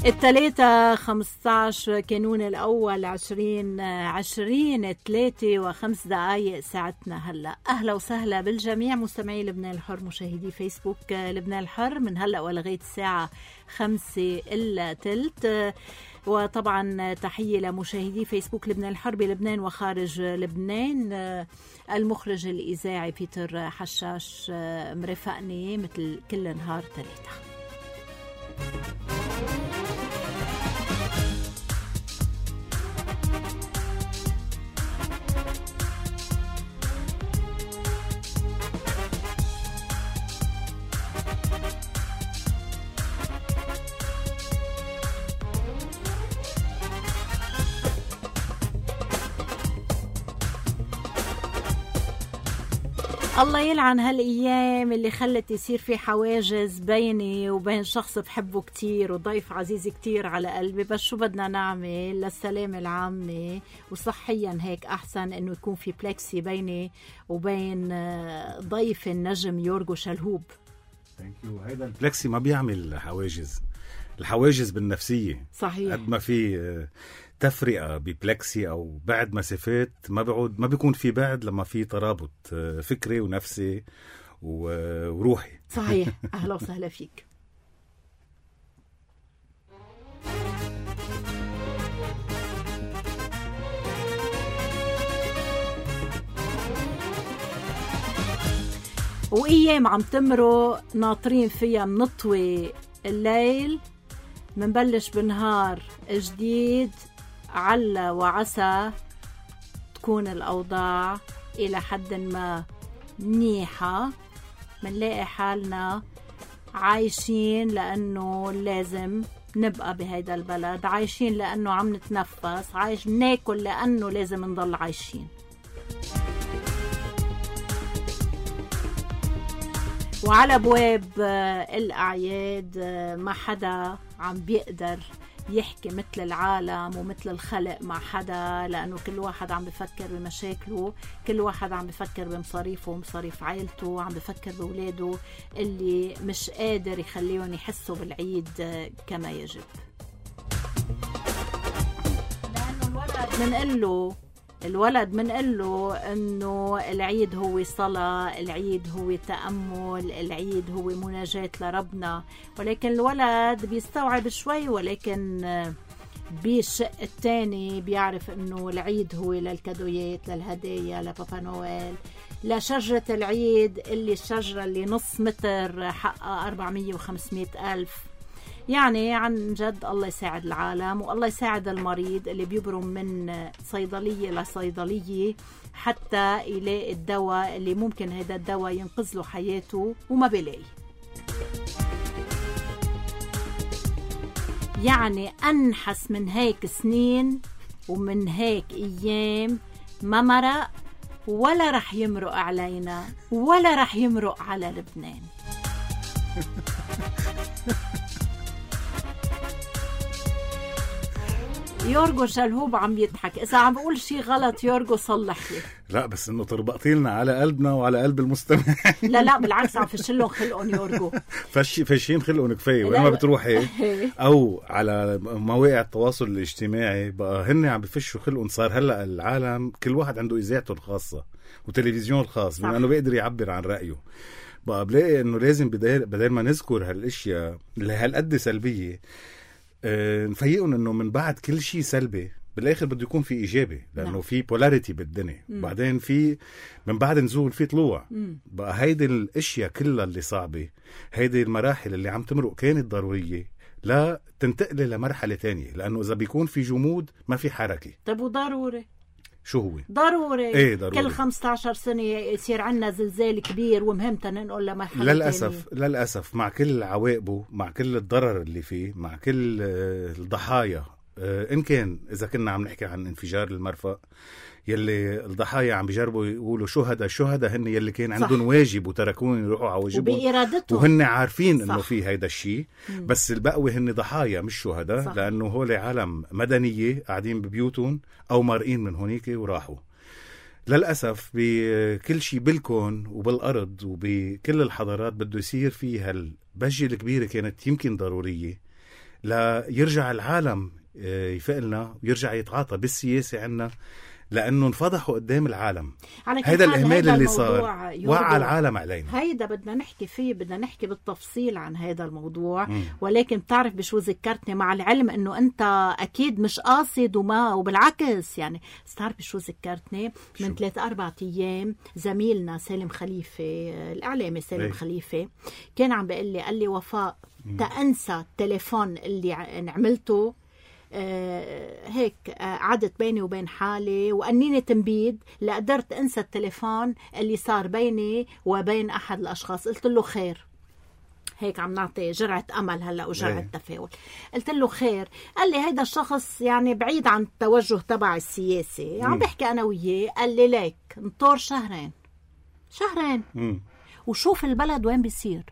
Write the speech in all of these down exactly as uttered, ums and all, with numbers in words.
التلاتة خمستاش كانون الأول عشرين عشرين تلاتة وخمس دقايق ساعتنا هلأ. أهلا وسهلا بالجميع مستمعي لبنان الحر مشاهدي فيسبوك لبنان الحر من هلأ ولغاية الساعة خمسة إلا تلت. وطبعا تحية لمشاهدي فيسبوك لبنان الحر بلبنان وخارج لبنان. المخرج الإذاعي بيتر حشاش مرافقني مثل كل نهار تلاتة. الله يلعن هالأيام اللي خلت يصير في حواجز بيني وبين شخص بحبه كتير وضيف عزيز كتير على قلبي. بس شو بدنا نعمل للسلامة العامة وصحيا هيك أحسن إنه يكون في بلكسي بيني وبين ضيف النجم يورغو شلهوب. هيدا البلكسي ما بيعمل حواجز، الحواجز بالنفسية. صحيح. قد ما في تفرقة ببلكسي أو بعد مسافات ما بعود ما بيكون في بعد لما في ترابط فكري ونفسي وروحي. صحيح. أهلا وسهلا فيك. وأيام عم تمرق ناطرين فيها منطوي الليل، منبلش بنهار جديد. على وعسى تكون الأوضاع إلى حد ما منيحة، منلاقي حالنا عايشين لأنه لازم نبقى بهيدا البلد، عايشين لأنه عم نتنفس، عايش ناكل لأنه لازم نضل عايشين. وعلى أبواب الأعياد ما حدا عم بيقدر يحكي مثل العالم ومثل الخلق مع حدا، لأنه كل واحد عم بفكر بمشاكله، كل واحد عم بفكر بمصاريفه ومصاريف عائلته، عم بفكر بولاده اللي مش قادر يخليهم يحسوا بالعيد كما يجب. لأنه الولد منقله الولد منقله انه العيد هو صلاة، العيد هو تأمل، العيد هو مناجاة لربنا، ولكن الولد بيستوعب شوي، ولكن بالشق الثاني بيعرف انه العيد هو للكادويات، للهدايا، لبابا نويل، لشجرة العيد اللي الشجرة اللي نص متر حقها أربعمية وخمسمية ألف. يعني عن جد الله يساعد العالم والله يساعد المريض اللي بيبرم من صيدلية لصيدلية حتى يلاقي الدواء اللي ممكن هذا الدواء ينقذ له حياته وما بيلاقي. يعني أنحس من هيك سنين ومن هيك أيام ما مرق ولا رح يمرق علينا ولا رح يمرق على لبنان. يورغو شلهوب عم يضحك. إذا عم بقول شي غلط يورغو صلح لي. لا بس إنه تربطي لنا على قلبنا وعلى قلب المستمع. لا لا بالعكس عم فشلهم خلقهم يورغو. فش فشين خلقهم كفاية. وين ما بتروحي أو على مواقع التواصل الاجتماعي بقى هن عم بفشوا خلقهم. صار هلا العالم كل واحد عنده إذاعته الخاصة وتلفزيون الخاص بما إنه بيقدر يعبر عن رأيه. بقى بلاقي إنه لازم بدل بدل ما نذكر هالأشياء اللي هالقد سلبية أه نفيقون انه من بعد كل شيء سلبي بالاخر بده يكون في ايجابي، لانه نعم. في بولاريتي بالدنيا. مم. بعدين في من بعد نزول في طلوع. مم. بقى هيدي الاشياء كلها اللي صعبه، هيدي المراحل اللي عم تمرق كانت ضروريه لا تنتقل لمرحله تانية، لانه اذا بيكون في جمود ما في حركه. طب وضروري شو هو؟ ضروري. ايه ضروري. كل خمسة عشر سنة يصير عنا زلزال كبير ومهمة ننقل لمرحلة للأسف تانية. للأسف مع كل عواقبه، مع كل الضرر اللي فيه، مع كل الضحايا. إن كان إذا كنا عم نحكي عن انفجار المرفأ يلي الضحايا عم بيجربوا يقولوا شهداء شهداء هن يلي كان عندهم واجب وتركون يروحوا على واجبهم وبإرادتهم، وهن عارفين انه في هيدا الشيء، بس البقوة هن ضحايا مش شهداء، لانه هول عالم مدنية قاعدين ببيوتهم او مارقين من هونيك وراحوا. للأسف بكل شيء بالكون وبالأرض وبكل الحضارات بده يصير فيها البجة الكبيرة كانت يمكن ضرورية ليرجع العالم يفقلنا ويرجع يتعاطى بالسياسة عنا، لأنه انفضحوا قدام العالم. هذا الإهمال اللي صار وعى العالم علينا. هيدا بدنا نحكي فيه، بدنا نحكي بالتفصيل عن هذا الموضوع. م. ولكن بتعرف بشو ذكرتني، مع العلم أنه أنت أكيد مش قاصد وما وبالعكس يعني. بتعرف بشو ذكرتني؟ من ثلاث أربعة أيام زميلنا سالم خليفة الإعلامي سالم إيه؟ خليفة كان عم بيقول لي، قال لي وفاء تأنسى التليفون اللي عملته آه هيك آه عدت بيني وبين حالي وأنيني تنبيد لقدرت أنسى التليفون اللي صار بيني وبين أحد الأشخاص. قلت له خير، هيك عم نعطي جرعة أمل هلأ وجرعة تفاؤل. قلت له خير. قال لي هيدا الشخص يعني بعيد عن التوجه تبع السياسي، عم بحكي أنا وياه. قال لي ليك نطور شهرين شهرين م. وشوف البلد وين بيصير.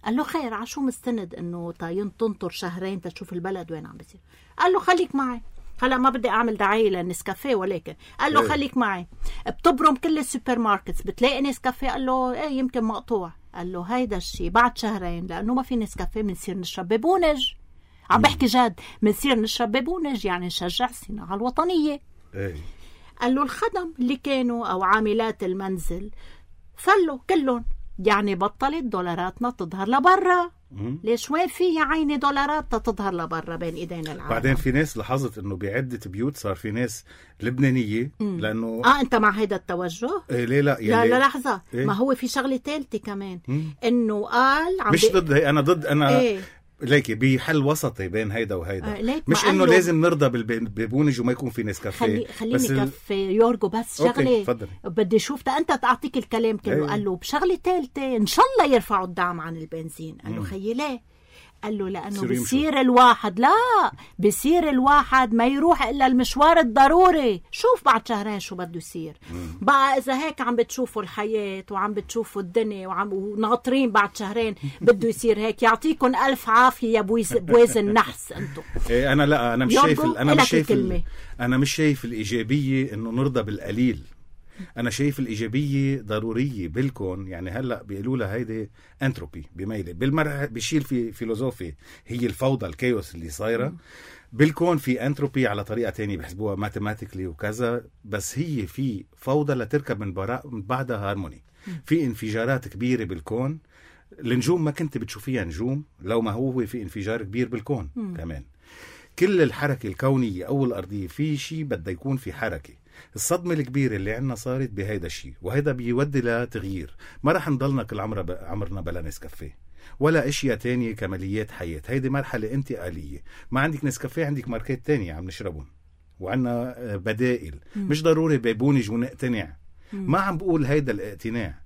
قال له خير، عشو مستند انه طاين تنطر شهرين تشوف البلد وين عم بيصير؟ قال له خليك معي. هلا ما بدي اعمل دعايه للنسكافيه، ولكن قال له خليك معي. بتبرم كل السوبر ماركتس بتلاقي نسكافيه. قال له ايه يمكن مقطوع. قال له هيدا الشيء بعد شهرين لانه ما في نسكافيه بنصير نشرب ببونج. عم بحكي جد، بنصير نشرب ببونج يعني نشجع الصناعه الوطنيه. قال له الخدم اللي كانوا او عاملات المنزل فلوا كلهم، يعني بطلت دولاراتنا تظهر لبرا. ليش وين في يا عيني دولارات تظهر لبرا بين ايدينا العالم؟ بعدين في ناس لاحظت انه بعدة بيوت صار في ناس لبنانية مم. لانه اه انت مع هيدا التوجه؟ إيه ليه لا لا لا لحظة إيه؟ ما هو في شغلة ثالثة كمان مم. انه قال عم مش بي... ضد هي، انا ضد انا إيه؟ ليكي بحل وسطي بين هيدا وهيدا. آه مش انه لازم نرضى بالبونج وما يكون في نسكافيه. خلي خليني كف يورجو بس شغله بدي اشوف انت تعطيك الكلام كله. أيه. قال له بشغله ثالثه ان شاء الله يرفعوا الدعم عن البنزين. قال له خيي ليه؟ قال له لانه بصير الواحد لا بصير الواحد ما يروح الا المشوار الضروري. شوف بعد شهرين شو بده يصير. بقى اذا هيك عم بتشوفوا الحياه وعم بتشوفوا الدنيا وعم وناطرين بعد شهرين بده يصير هيك، يعطيكم الف عافيه يا بوازن نحس انتم. إيه انا لا انا مش شايف انا مش شايف انا مش شايف الايجابيه انه نرضى بالقليل. أنا شايف الإيجابية ضرورية بالكون. يعني هلأ بيقولوا لها هيدي أنتروبي بميلة بالمرة بيشيل في فيلوزوفي هي الفوضى الكيوس اللي صايرة بالكون. في أنتروبي على طريقة تانية بحسبوها ماتيماتيكلي وكذا، بس هي في فوضى لتركب من, من بعدها هارموني. في انفجارات كبيرة بالكون. النجوم ما كنت بتشوفيها نجوم لو ما هو في انفجار كبير بالكون. م. كمان كل الحركة الكونية أو الأرضية في شيء بدأ يكون في حركة. الصدمة الكبيرة اللي عنا صارت بهيدا الشيء، وهيدا بيودي لتغيير. ما رح نضلنا كل عمر ب... عمرنا بلا نسكافيه ولا اشياء تانية كماليات حياة. هيدي مرحلة انتقالية. ما عندك نسكافيه عندك ماركات تانية عم نشربهم وعنا بدائل. م. مش ضروري بيبونج ونقتنع. م. ما عم بقول هيدا الاقتناع.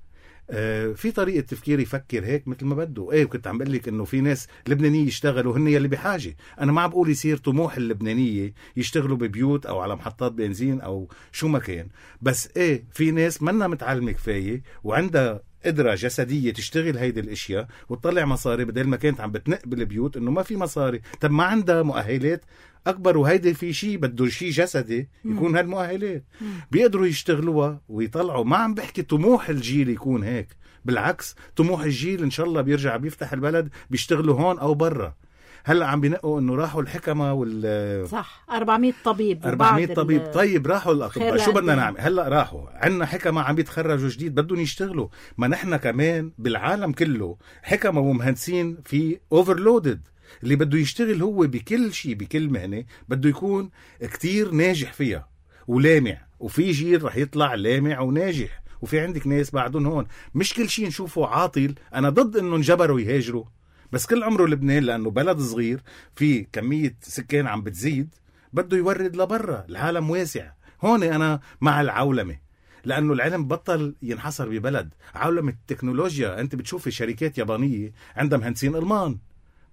آه في طريقة تفكير يفكر هيك مثل ما بده. ايه كنت عم بقلك انه في ناس لبنانية يشتغلوا هن يلي بحاجة. انا ما عم بقول يصير طموح اللبنانية يشتغلوا ببيوت او على محطات بنزين او شو ما كان، بس ايه في ناس منا متعلمة كفاية وعندها قدرة جسدية تشتغل هيدي الاشياء وتطلع مصاري بدل ما كانت عم بتنق بالبيوت انه ما في مصاري. طب ما عندها مؤهلات اكبر، وهيدي في شيء بده شيء جسدي يكون هالمؤهلات بيقدروا يشتغلوها ويطلعوا. ما عم بحكي طموح الجيل يكون هيك، بالعكس طموح الجيل ان شاء الله بيرجع بيفتح البلد بيشتغلوا هون او برا. هلا عم بينقوا انه راحوا الحكمه وال صح أربعمية طبيب أربعمية طبيب ال... طيب راحوا الاطباء شو بدنا نعمل هلا؟ راحوا عندنا حكمه عم بيتخرجوا جديد بدهم يشتغلوا. ما نحن كمان بالعالم كله حكمه ومهندسين في اوفرلودد. اللي بده يشتغل هو بكل شيء بكل مهنه بده يكون كتير ناجح فيها ولامع، وفي جيل رح يطلع لامع وناجح. وفي عندك ناس بعدهم هون مش كل شيء نشوفه عاطل. انا ضد انه انجبروا يهاجروا، بس كل عمره لبنان لأنه بلد صغير في كمية سكان عم بتزيد بده يورد لبرا. العالم واسع. هون أنا مع العولمة، لأنه العلم بطل ينحصر ببلد. عولمة التكنولوجيا، أنت بتشوفي شركات يابانية عندها مهندسين ألمان،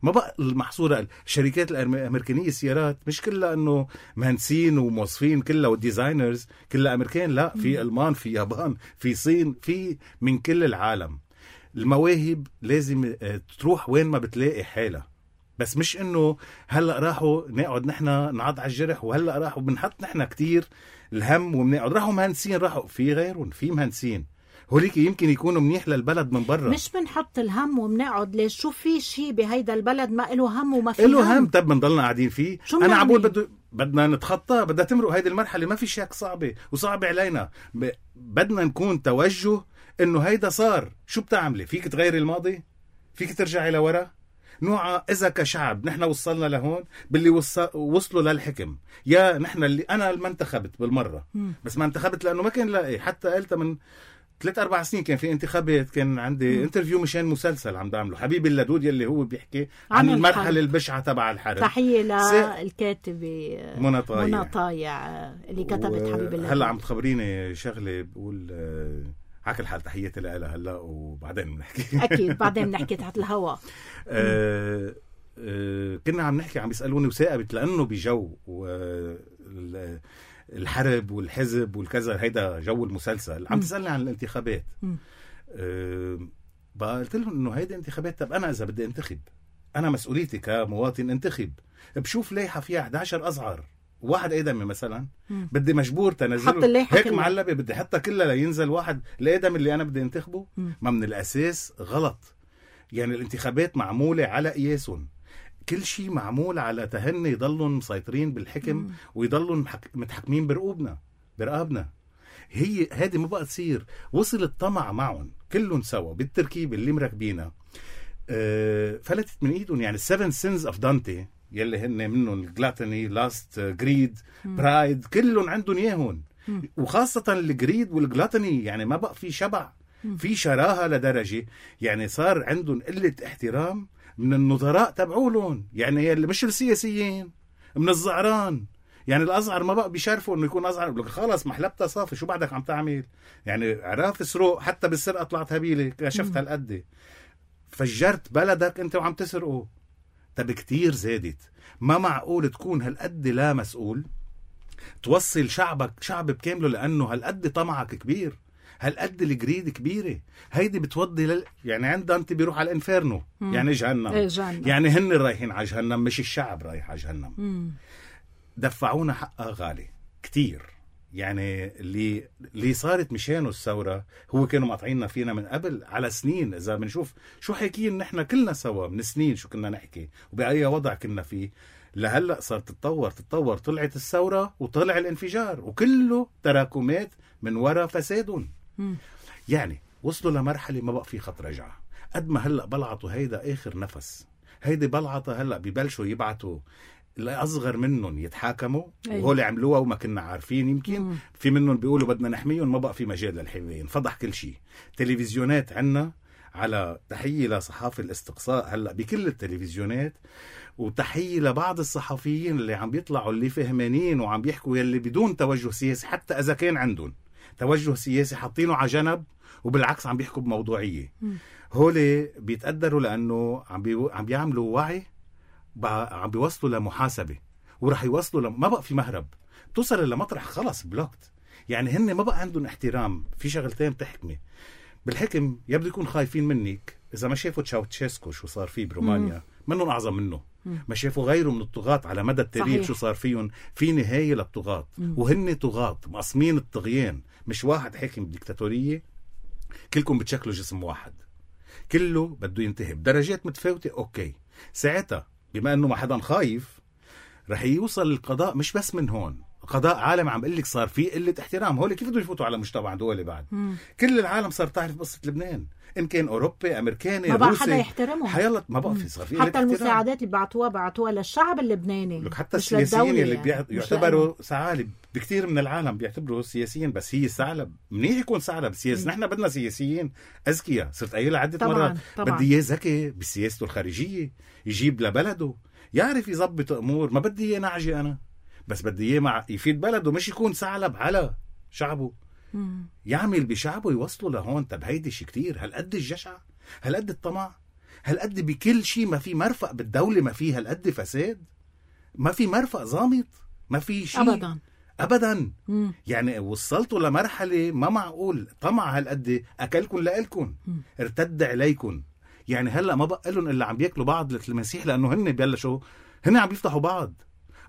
ما بقى المحصورة. الشركات الأمريكانية السيارات مش كلها أنه مهندسين وموظفين كلها والديزاينرز كلها أمريكان، لا، في ألمان، في يابان، في صين، في من كل العالم. المواهب لازم تروح وين ما بتلاقي حالة، بس مش انه هلأ راحوا نقعد نحنا نعض على الجرح وهلأ راحوا بنحط نحنا كتير الهم وبنقعد. راحوا مهندسين، راحوا في غيرهم، في مهندسين هوليك يمكن يكونوا منيح للبلد من برا. مش بنحط الهم وبنقعد ليش شو في شيء بهيدا البلد ما له هم وما في هم له هم. طب بنضلنا قاعدين فيه. انا عم بقول بده بدنا نتخطى، بدنا تمرق هيدي المرحله، ما في شك صعبه وصعبه علينا. ب... بدنا نكون توجه انه هيدا صار. شو بتعملي؟ فيك تغيري الماضي؟ فيك ترجعي لورا؟ نوعا اذا كشعب نحن وصلنا لهون باللي وص... وصلوا للحكم، يا نحن اللي انا ما انتخبت بالمره م. بس ما انتخبت لانه ما كان لاقي. حتى قلت من ثلاث أربع سنين كان في انتخابات، كان عندي م. انترفيو مشان مسلسل عم بعمله حبيبي اللدود يلي هو بيحكي عن, عن المرحله البشعه تبع الحرب. تحيه للكاتبه منى طايع منى طايع اللي كتبت و... حبيبي اللدود. هلا عم تخبريني شغله بقول آه... عكل حال تحياتي لها هلا وبعدين بنحكي. اكيد بعدين بنحكي تحت الهواء. آه آه كنا عم نحكي، عم بيسالوني وثاقبت لانه بجو الحرب والحزب والكذا، هيدا جو المسلسل. عم تسالني عن الانتخابات. آه بقى قلت لهم انه هيدا انتخابات. طب انا اذا بدي انتخب، انا مسؤوليتي كمواطن انتخب، بشوف لايحه فيها إحدى عشر ازعر واحد ادمي مثلا، مم. بدي مجبور تنزله هيك معلبه، بدي حتى كلها لينزل واحد الادمي اللي انا بدي انتخبه. مم. ما من الاساس غلط. يعني الانتخابات معموله على قياسهم، كل شيء معمول على تهني يضلون مسيطرين بالحكم. مم. ويضلون متحكمين برقوبنا برقابنا. هي هذه ما بقى تصير. وصل الطمع معهم كلهم سوا بالتركيب اللي مركبينها. أه فلتت من ايدهم. يعني السفن سينز اوف دانتي يلي هن منهم الجلاتني، لاست، جريد، برايد، كلهم عندهم اياهم. وخاصة الجريد والجلاتني يعني ما بقى في شبع، في شراهة لدرجة يعني صار عندهم قلة احترام من النظراء تبعولهم. يعني اللي مش السياسيين، من الزعران. يعني الأزعر ما بقى بيشرفوا انه يكون أزعر. بقول خلاص محلبتها صافي، شو بعدك عم تعمل؟ يعني عراف سروق، حتى بالسرقة طلعت هبيلة، كشفت هالقد فجرت بلدك انت وعم تسرقه. طب كتير زادت. ما معقول تكون هالقد لا مسؤول توصل شعبك شعب بكامله، لأنه هالقد طمعك كبير، هالقد الجريد كبيرة. هيدي بتوضي لل... يعني عند أنت بيروح على الانفيرنو. مم. يعني جهنم. إيه جهنم. يعني هن رايحين على جهنم، مش الشعب رايح على جهنم. مم. دفعونا حقها غالي كتير. يعني اللي اللي صارت مشانه الثورة هو كانوا مقطعيننا فينا من قبل على سنين. إذا بنشوف شو حكيين نحن كلنا سوا من سنين شو كنا نحكي وبأي وضع كنا فيه، لهلأ صارت تتطور تتطور. طلعت الثورة وطلع الانفجار، وكله تراكمات من وراء فسادهم. يعني وصلوا لمرحلة ما بقى في خط رجعة. قد ما هلأ بلعطوا هيدا آخر نفس. هيدي بلعطة هلأ ببلشوا يبعتوا الأصغر منهم يتحاكموا. أيوة. وهو اللي عملوها وما كنا عارفين. يمكن مم. في منهم بيقولوا بدنا نحميهم، ما بقى في مجال للحماية، انفضح كل شيء. تلفزيونات عنا على تحية لصحافة الاستقصاء هلأ بكل التلفزيونات، وتحية لبعض الصحفيين اللي عم بيطلعوا اللي فهمانين وعم بيحكوا يلي بدون توجه سياسي. حتى إذا كان عندهم توجه سياسي حاطينه على جنب، وبالعكس عم بيحكوا بموضوعية. هولي بيتقدروا لأنه عم, بي... عم بيعملوا وعي، عم بيوصلوا لمحاسبة، ورح يوصلوا لم... ما بقى في مهرب. توصل لمطرح خلص بلوكت. يعني هن ما بقى عندهم احترام. في شغلتين بتحكمي بالحكم، يبدو يكون خايفين منك. إذا ما شافوا تشاوتشيسكو شو صار فيه برومانيا، منهم أعظم منه. مم. ما شافوا غيره من الطغاة على مدى التاريخ. صحيح. شو صار فيهم. في نهاية للطغاة. مم. وهن طغاة مقسمين الطغيان، مش واحد حاكم بديكتاتورية كلكم بتشكلوا جسم واحد، كله بده ينتهي بدرجات متفاوتة. أوكي، ساعتها بما أنه ما حدا خايف رح يوصل القضاء. مش بس من هون، قضاء عالم عم قلك صار فيه قلة احترام. هولي كيف بدهم يفوتوا على مجتمع دولي بعد؟ مم. كل العالم صار تعرف قصة لبنان، إن كان أوروبي أمريكاني ما بقى حدا يحترمهم. حيالله ما بقى في صار فيه حتى المساعدات اللي بعتوها بعتوها للشعب اللبناني، حتى السياسيين اللي بيع... يعتبروا ثعالب. بكتير من العالم بيعتبروا السياسيين بس هي ثعلب. منيح يكون ثعلب سياسي. نحن بدنا سياسيين أذكياء. صرت قايلها عدة طبعاً. مرات طبعاً. بدي إياه ذكي بسياسته الخارجية، يجيب لبلده، يعرف يضبط أمور. ما بدي إياه نعجي أنا، بس بدي إياه مع يفيد بلده، مش يكون ثعلب على شعبه. مم. يعمل بشعبه يوصلوا لهون. طب هيدي شي كتير. هالقد الجشع، هالقد الطمع، هالقد بكل شيء ما في مرفق بالدولة، ما في هالقد فساد، ما في مرفق ضامط، ما في شيء أبدا أبدا. مم. يعني وصلتوا لمرحلة ما معقول. طمع هالقد أكلكم لألكم، ارتد عليكم. يعني هلأ ما بقى لهم إلا عم بيأكلوا بعض المسيح، لأنه هن بيبلشوا هن عم بيفتحوا بعض.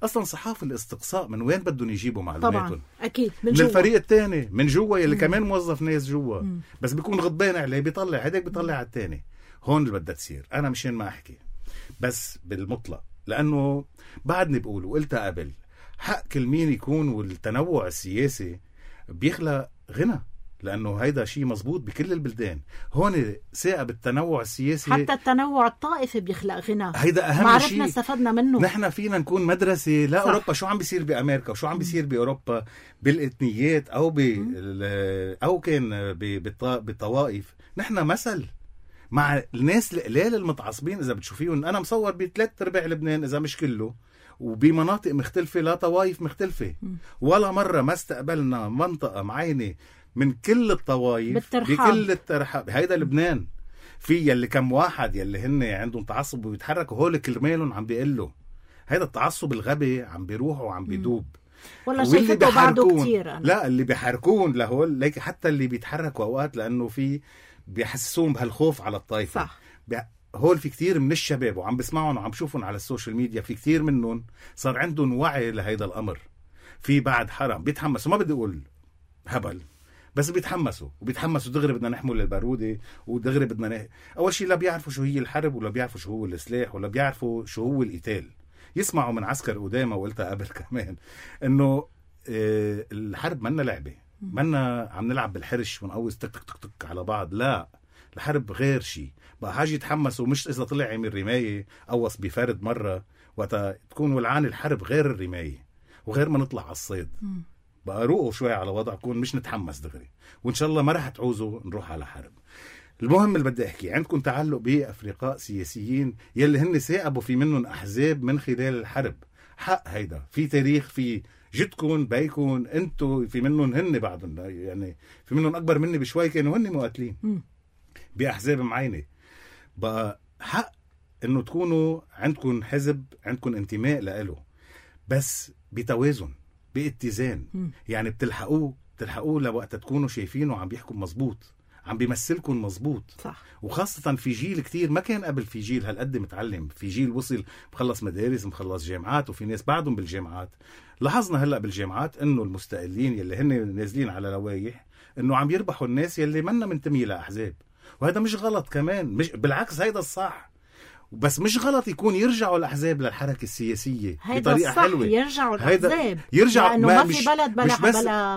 اصلا صحافه الاستقصاء من وين بدهم يجيبوا معلوماتهم؟ طبعا اكيد من, من الفريق الثاني من جوا يلي مم. كمان موظف ناس جوا مم. بس بيكون غضبان عليه بيطلع هداك بيطلع على الثاني. هون اللي بدها تصير. انا مشان ما احكي بس بالمطلق لانه بعدني بقول وقلتها قبل حق كل مين يكون والتنوع السياسي بيخلق غنى لأنه هيدا شيء مزبوط بكل البلدان. هون ثقة بالتنوع السياسي حتى التنوع الطائفي بيخلق غنى. هيدا أهم شيء ما عرفنا استفدنا منه. نحن فينا نكون مدرسة لا صح. أوروبا شو عم بيصير بأمريكا وشو عم بيصير بأوروبا بالإثنيات أو ب أو كان بالطوائف. نحن مثل مع الناس القلال المتعصبين إذا بتشوفيهم. أنا مصور بثلاث أرباع لبنان إذا مش كله وبمناطق مختلفة لا طوائف مختلفة م. ولا مرة ما استقبلنا منطقة معينة من كل الطوائف بالترحاب. بكل الترحاب. هيدا لبنان. في يلي كم واحد يلي هن عندهم تعصب وبيتحركوا هول كرمالهم عم بيقلوا. هيدا التعصب الغبي عم بيروحوا وعم بيدوب. والله شايفته بعده كتير أنا. لا اللي بيحركون لهول ليك حتى اللي بيتحركوا أوقات لأنه في بيحسسون بهالخوف على الطائفة. صح. بي... هول في كتير من الشباب وعم بسمعهم وعم بشوفهم على السوشيال ميديا في كتير منهم صار عندهم وعي لهيدا الأمر. في بعد حرام بيتحمسوا ما بدي أقول هبل بس بيتحمسوا وبيتحمسوا دغري بدنا نحمل البارودة ودغري بدنا نه... أول شيء لا بيعرفوا شو هي الحرب ولا بيعرفوا شو هو السلاح ولا بيعرفوا شو هو القتال. يسمعوا من عسكر قدامى وقلتها قبل كمان إنه اه الحرب منا لعبة منا عم نلعب بالحرش ونقوز تك تك تك تك على بعض. لا الحرب غير شيء بقى حاجة يتحمسوا مش إذا طلع عمل رماية قوص بفرد مرة وقتا تكون ولعان الحرب غير الرماية وغير ما نطلع على الصيد بقى روقوا شوي على وضعكم مش نتحمس دغري وإن شاء الله ما رح تعوزوا نروح على حرب. المهم اللي بدي أحكي عندكم تعلق بأفرقاء سياسيين يلي هن ساقبوا في منهم أحزاب من خلال الحرب. حق هيدا في تاريخ في جدكم بيكون انتو في منهم هن بعضهم يعني في منهم أكبر مني بشوي كانوا هن مقاتلين بأحزاب معينة. بقى حق انه تكونوا عندكم حزب عندكم انتماء لإله بس بتوازن باتزان. م. يعني بتلحقوه بتلحقوه لوقت تكونوا شايفينه عم بيحكم مزبوط عم بيمثلكم مزبوط. صح. وخاصة في جيل كتير ما كان قبل في جيل هالقد متعلم في جيل وصل مخلص مدارس مخلص جامعات وفي ناس بعدهم بالجامعات. لاحظنا هلأ بالجامعات انه المستقلين يلي هن نازلين على لوايح انه عم يربحوا الناس يلي منا منتمي لأحزاب وهذا مش غلط كمان مش بالعكس هيدا الصح بس مش غلط يكون يرجعوا الأحزاب للحركة السياسية بطريقة حلوة. يرجعوا الأحزاب يرجعوا لأنه ما, ما في بلد بلا, بلا, بلا,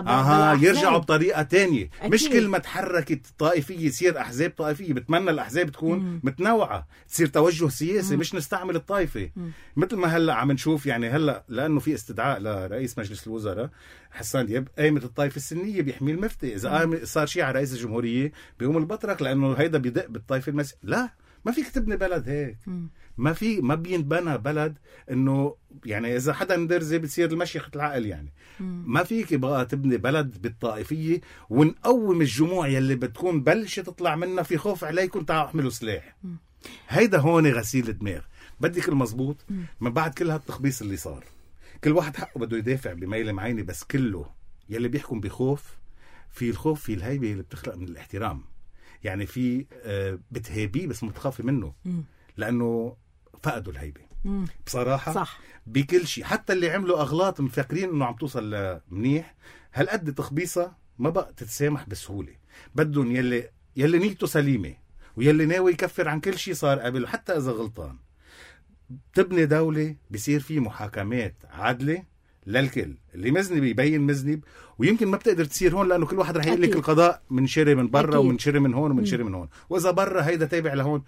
بلا يرجعوا بطريقة تانية. أكيد. مش كل ما تحركت طائفية يصير أحزاب طائفية. بتمنى الأحزاب تكون مم. متنوعة تصير توجه سياسي مم. مش نستعمل الطائفة مم. مثل ما هلأ عم نشوف يعني هلأ لأنه في استدعاء لرئيس مجلس الوزراء حسان دياب قائمة الطائفة السنية بيحمي المفتي. إذا صار شيء على رئيس الجمهورية بيقوم البطرك لأنه هيدا بيدق بالطائفة المسيحية. لا ما فيك تبني بلد هيك. م. ما في ما بينبنى بلد انه يعني اذا حدا ندرزي بتصير المشيخة العقل يعني. م. ما فيك بقى تبني بلد بالطائفية ونقوم الجموع يلي بتكون بلشة تطلع منها في خوف عليكم تعالوا احملوا سلاح. م. هيدا هون غسيل الدماغ. بدك المزبوط م. من بعد كل هالتخبيص اللي صار كل واحد حقه بده يدافع بميل معينة بس كله يلي بيحكم بخوف. في الخوف في الهيبة اللي بتخلق من الاحترام. يعني في بتهيبيه بس متخافي منه م. لأنه فقدوا الهيبة م. بصراحة. صح. بكل شيء حتى اللي عملوا أغلاط مفكرين أنه عم توصل منيح هالقد تخبيصة ما بقى تتسامح بسهولة. بدهم يلي يلي نيته سليمة ويلي ناوي يكفر عن كل شيء صار قبل حتى إذا غلطان. تبني دولة بيصير فيه محاكمات عادلة للكل. اللي مذنب يبين مذنب ويمكن ما بتقدر تصير هون لأنه كل واحد رح يقول لك القضاء من شري من برا ومن شري من هون ومن شري من هون وإذا برا هيدا تابع لهون.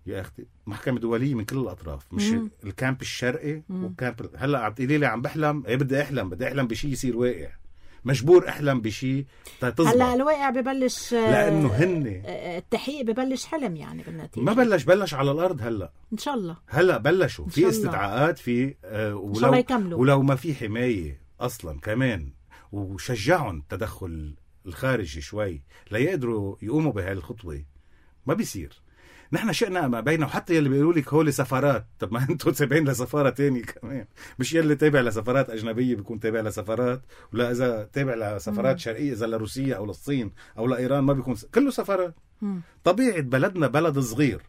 يا أختي محكمة دولية من كل الأطراف مش مم. الكامب الشرقي والكامب. هلأ عم تقولي لي عم بحلم ايه بدي أحلم بدي أحلم بشي يصير واقع. مجبور أحلم بشي تظبط. هلا الواقع ببلش لأنه هن التحقيق ببلش حلم يعني بالنتيجة. ما بلش بلش على الأرض هلا إن شاء الله. هلا بلشوا في استدعاءات في آه ولو ولو ما في حماية أصلا كمان وشجعهم تدخل الخارجي شوي ليقدروا يقوموا بهالخطوة. ما بيصير. نحن شئنا ما بينه وحتى يلي بيقولوا لك هولي سفارات. طب ما انتوا تابعين لسفارة تاني كمان مش يلي تابع لسفارات أجنبية بيكون تابع لسفارات ولا إذا تابع لسفارات شرقية إذا لروسيا أو للصين أو لإيران ما بيكون س... كله سفارات. طبيعة بلدنا بلد صغير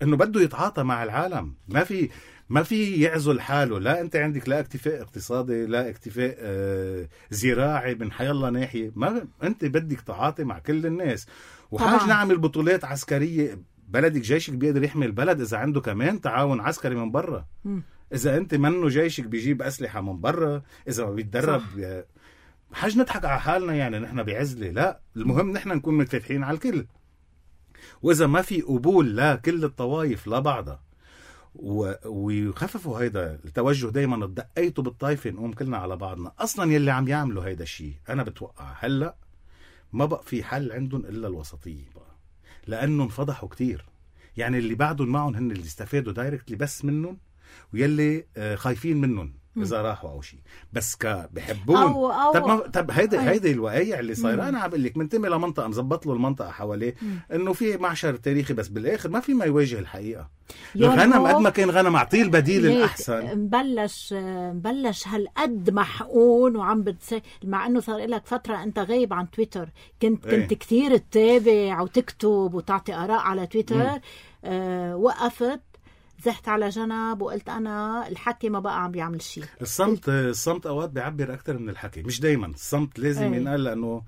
إنه بده يتعاطى مع العالم. ما في ما في يعزل حاله. لا انت عندك لا اكتفاء اقتصادي، لا اكتفاء آه زراعي من حيالله ناحية. ما انت بدك تعاطي مع كل الناس. وحاج نعمل بطولات عسكرية. بلدك جيشك بيقدر يحمي البلد إذا عنده كمان تعاون عسكري من برا. إذا أنت منه جيشك بيجيب أسلحة من برا، إذا ما بيتدرب حاج نضحك على حالنا يعني نحن بعزلة. لا، المهم نحن نكون متفتحين على الكل. وإذا ما في قبول لا كل الطوائف لا بعضها و... ويخففوا هيدا التوجه دايما دقيتوا بالطائفة نقوم كلنا على بعضنا. أصلا يلي عم يعملوا هيدا الشيء أنا بتوقع هلأ ما بقى في حل عندهم إلا الوسطية بقى، لأنه انفضحوا كتير. يعني اللي بعدهم معهم هن اللي استفادوا دايركتلي بس منهم، ويلي خايفين منهم إذا راحوا أو شيء بس ك بحبون. أو أو طب ما طب هيدا هيدا الوقايع اللي صايره. أنا عم بقول لك منتمي لمنطقة مزبط له المنطقة حواليه إنه في معشر تاريخي، بس بالآخر ما في ما يواجه الحقيقة. الغنم قد ما كان غنم أعطيه البديل الأحسن. مبلش مبلش هالقد محقون وعم بتسي، مع إنه صار لك فترة أنت غايب عن تويتر. كنت كنت ايه. كتير تتابع وتكتب وتعطي آراء على تويتر. آه وقفت زحت على جنب وقلت أنا الحكي ما بقى عم بيعمل شيء. الصمت الصمت أوقات بيعبر أكتر من الحكي، مش دايما. الصمت لازم ينقال، لأنه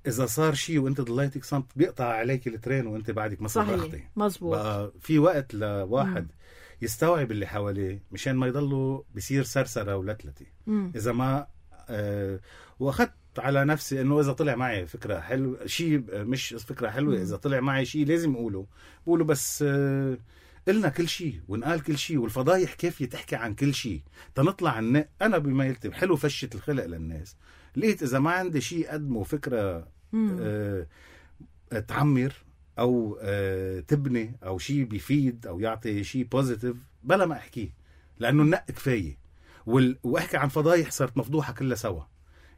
إذا صار شيء وأنت ضليتك صمت بيقطع عليك الترين وأنت بعدك ما صرختي. مظبوط. بقى في وقت لواحد مم. يستوعب اللي حواليه مشان ما يضلوا بيصير سرسرة ولتلتي. إذا ما آه وأخذت على نفسي إنه إذا طلع معي فكرة حلوة شيء مش فكرة حلوة مم. إذا طلع معي شيء لازم أقوله بقوله. بس آه قلنا كل شيء ونقال كل شيء، والفضايح كيف تحكي عن كل شيء تنطلع عن. أنا بما يلتم حلو فشة الخلق للناس. لقيت إذا ما عندي شيء قدمه فكرة آه تعمر أو آه تبني أو شيء بيفيد أو يعطي شيء بوزيتيف بلا ما أحكيه، لأنه النق كفاية. وال... وأحكي عن فضايح صارت مفضوحة كلها سوا،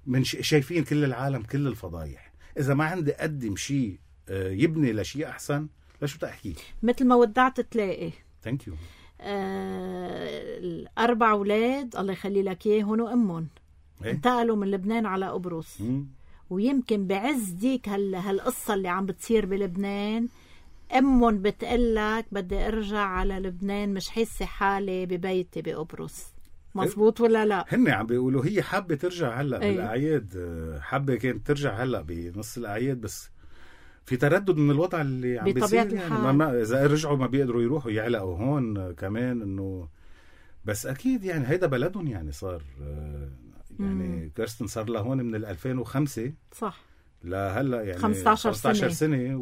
من ش... شايفين كل العالم كل الفضايح. إذا ما عندي أقدم شيء آه يبني لشيء أحسن لشو تحكي؟ مثل ما ودعت تلاقي. ثانك يو. آه الأربع أولاد الله يخلي لك إياهم وأمهم إيه؟ انتقلوا من لبنان على قبرص. مم. ويمكن بعز ديك هال هالقصة اللي عم بتصير بلبنان أمهم بتقلك بدي أرجع على لبنان، مش حاسة حالي ببيتي بقبرص. مزبوط ولا لا؟ هن عم بيقولوا هي حابة ترجع هلأ أيه؟ بالأعياد. حابة كانت ترجع هلأ بنص الأعياد، بس في تردد من الوضع اللي عم بيصير. يعني ما ما إذا رجعوا ما بيقدروا يروحوا يعلقوا هون كمان. إنه بس أكيد يعني هيدا بلدهم. يعني صار يعني مم. كيرستن صار له هون من ألفين وخمسة صح لا هلا يعني خمسة عشر سنة, سنة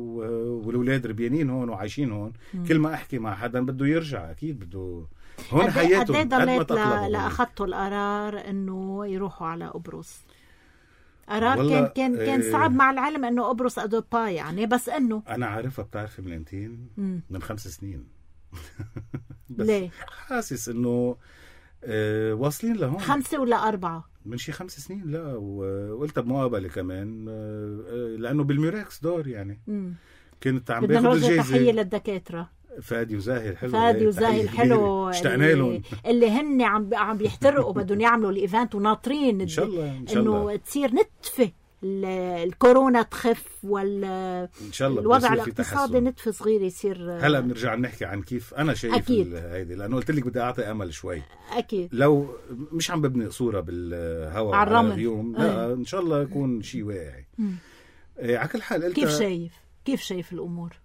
والأولاد ربيانين هون وعايشين هون. مم. كل ما أحكي مع حدا بده يرجع أكيد بده هون حياته. قد ايه ضليت لأخذتوا القرار إنه يروحوا على قبرص؟ قرار كان كان كان صعب مع العلم إنه قبرص أدوبا يعني، بس إنه أنا عارفها بتعرفي من امتين من خمس سنين. بس ليه؟ حاسس إنه أه واصلين لهون. خمسة ولا أربعة؟ من شي خمس سنين. لا وقلتها بمقابلة كمان أه لأنه بالميراكس دور يعني. مم. كنت عم باخد الجايزة. تحية للدكاترة فادي وزاهي الحلو. فادي وزاهي الحلو اشتقنا لهم، اللي هن عم عم بيحترقوا بدهم يعملوا الايفنت وناطرين ان شاء الله ان شاء الله انه تصير نتفه الكورونا تخف وال ان شاء الله الوضع الاقتصادي نتفه صغير يصير. هلا بنرجع نحكي عن كيف انا شايف هيدي، لانه قلت لك بدي اعطي امل شوي. اكيد لو مش عم ببني صوره بالهواء على, على اليوم لا أه. ان شاء الله يكون شيء واعي. إيه على كل حال كيف شايف كيف شايف الامور؟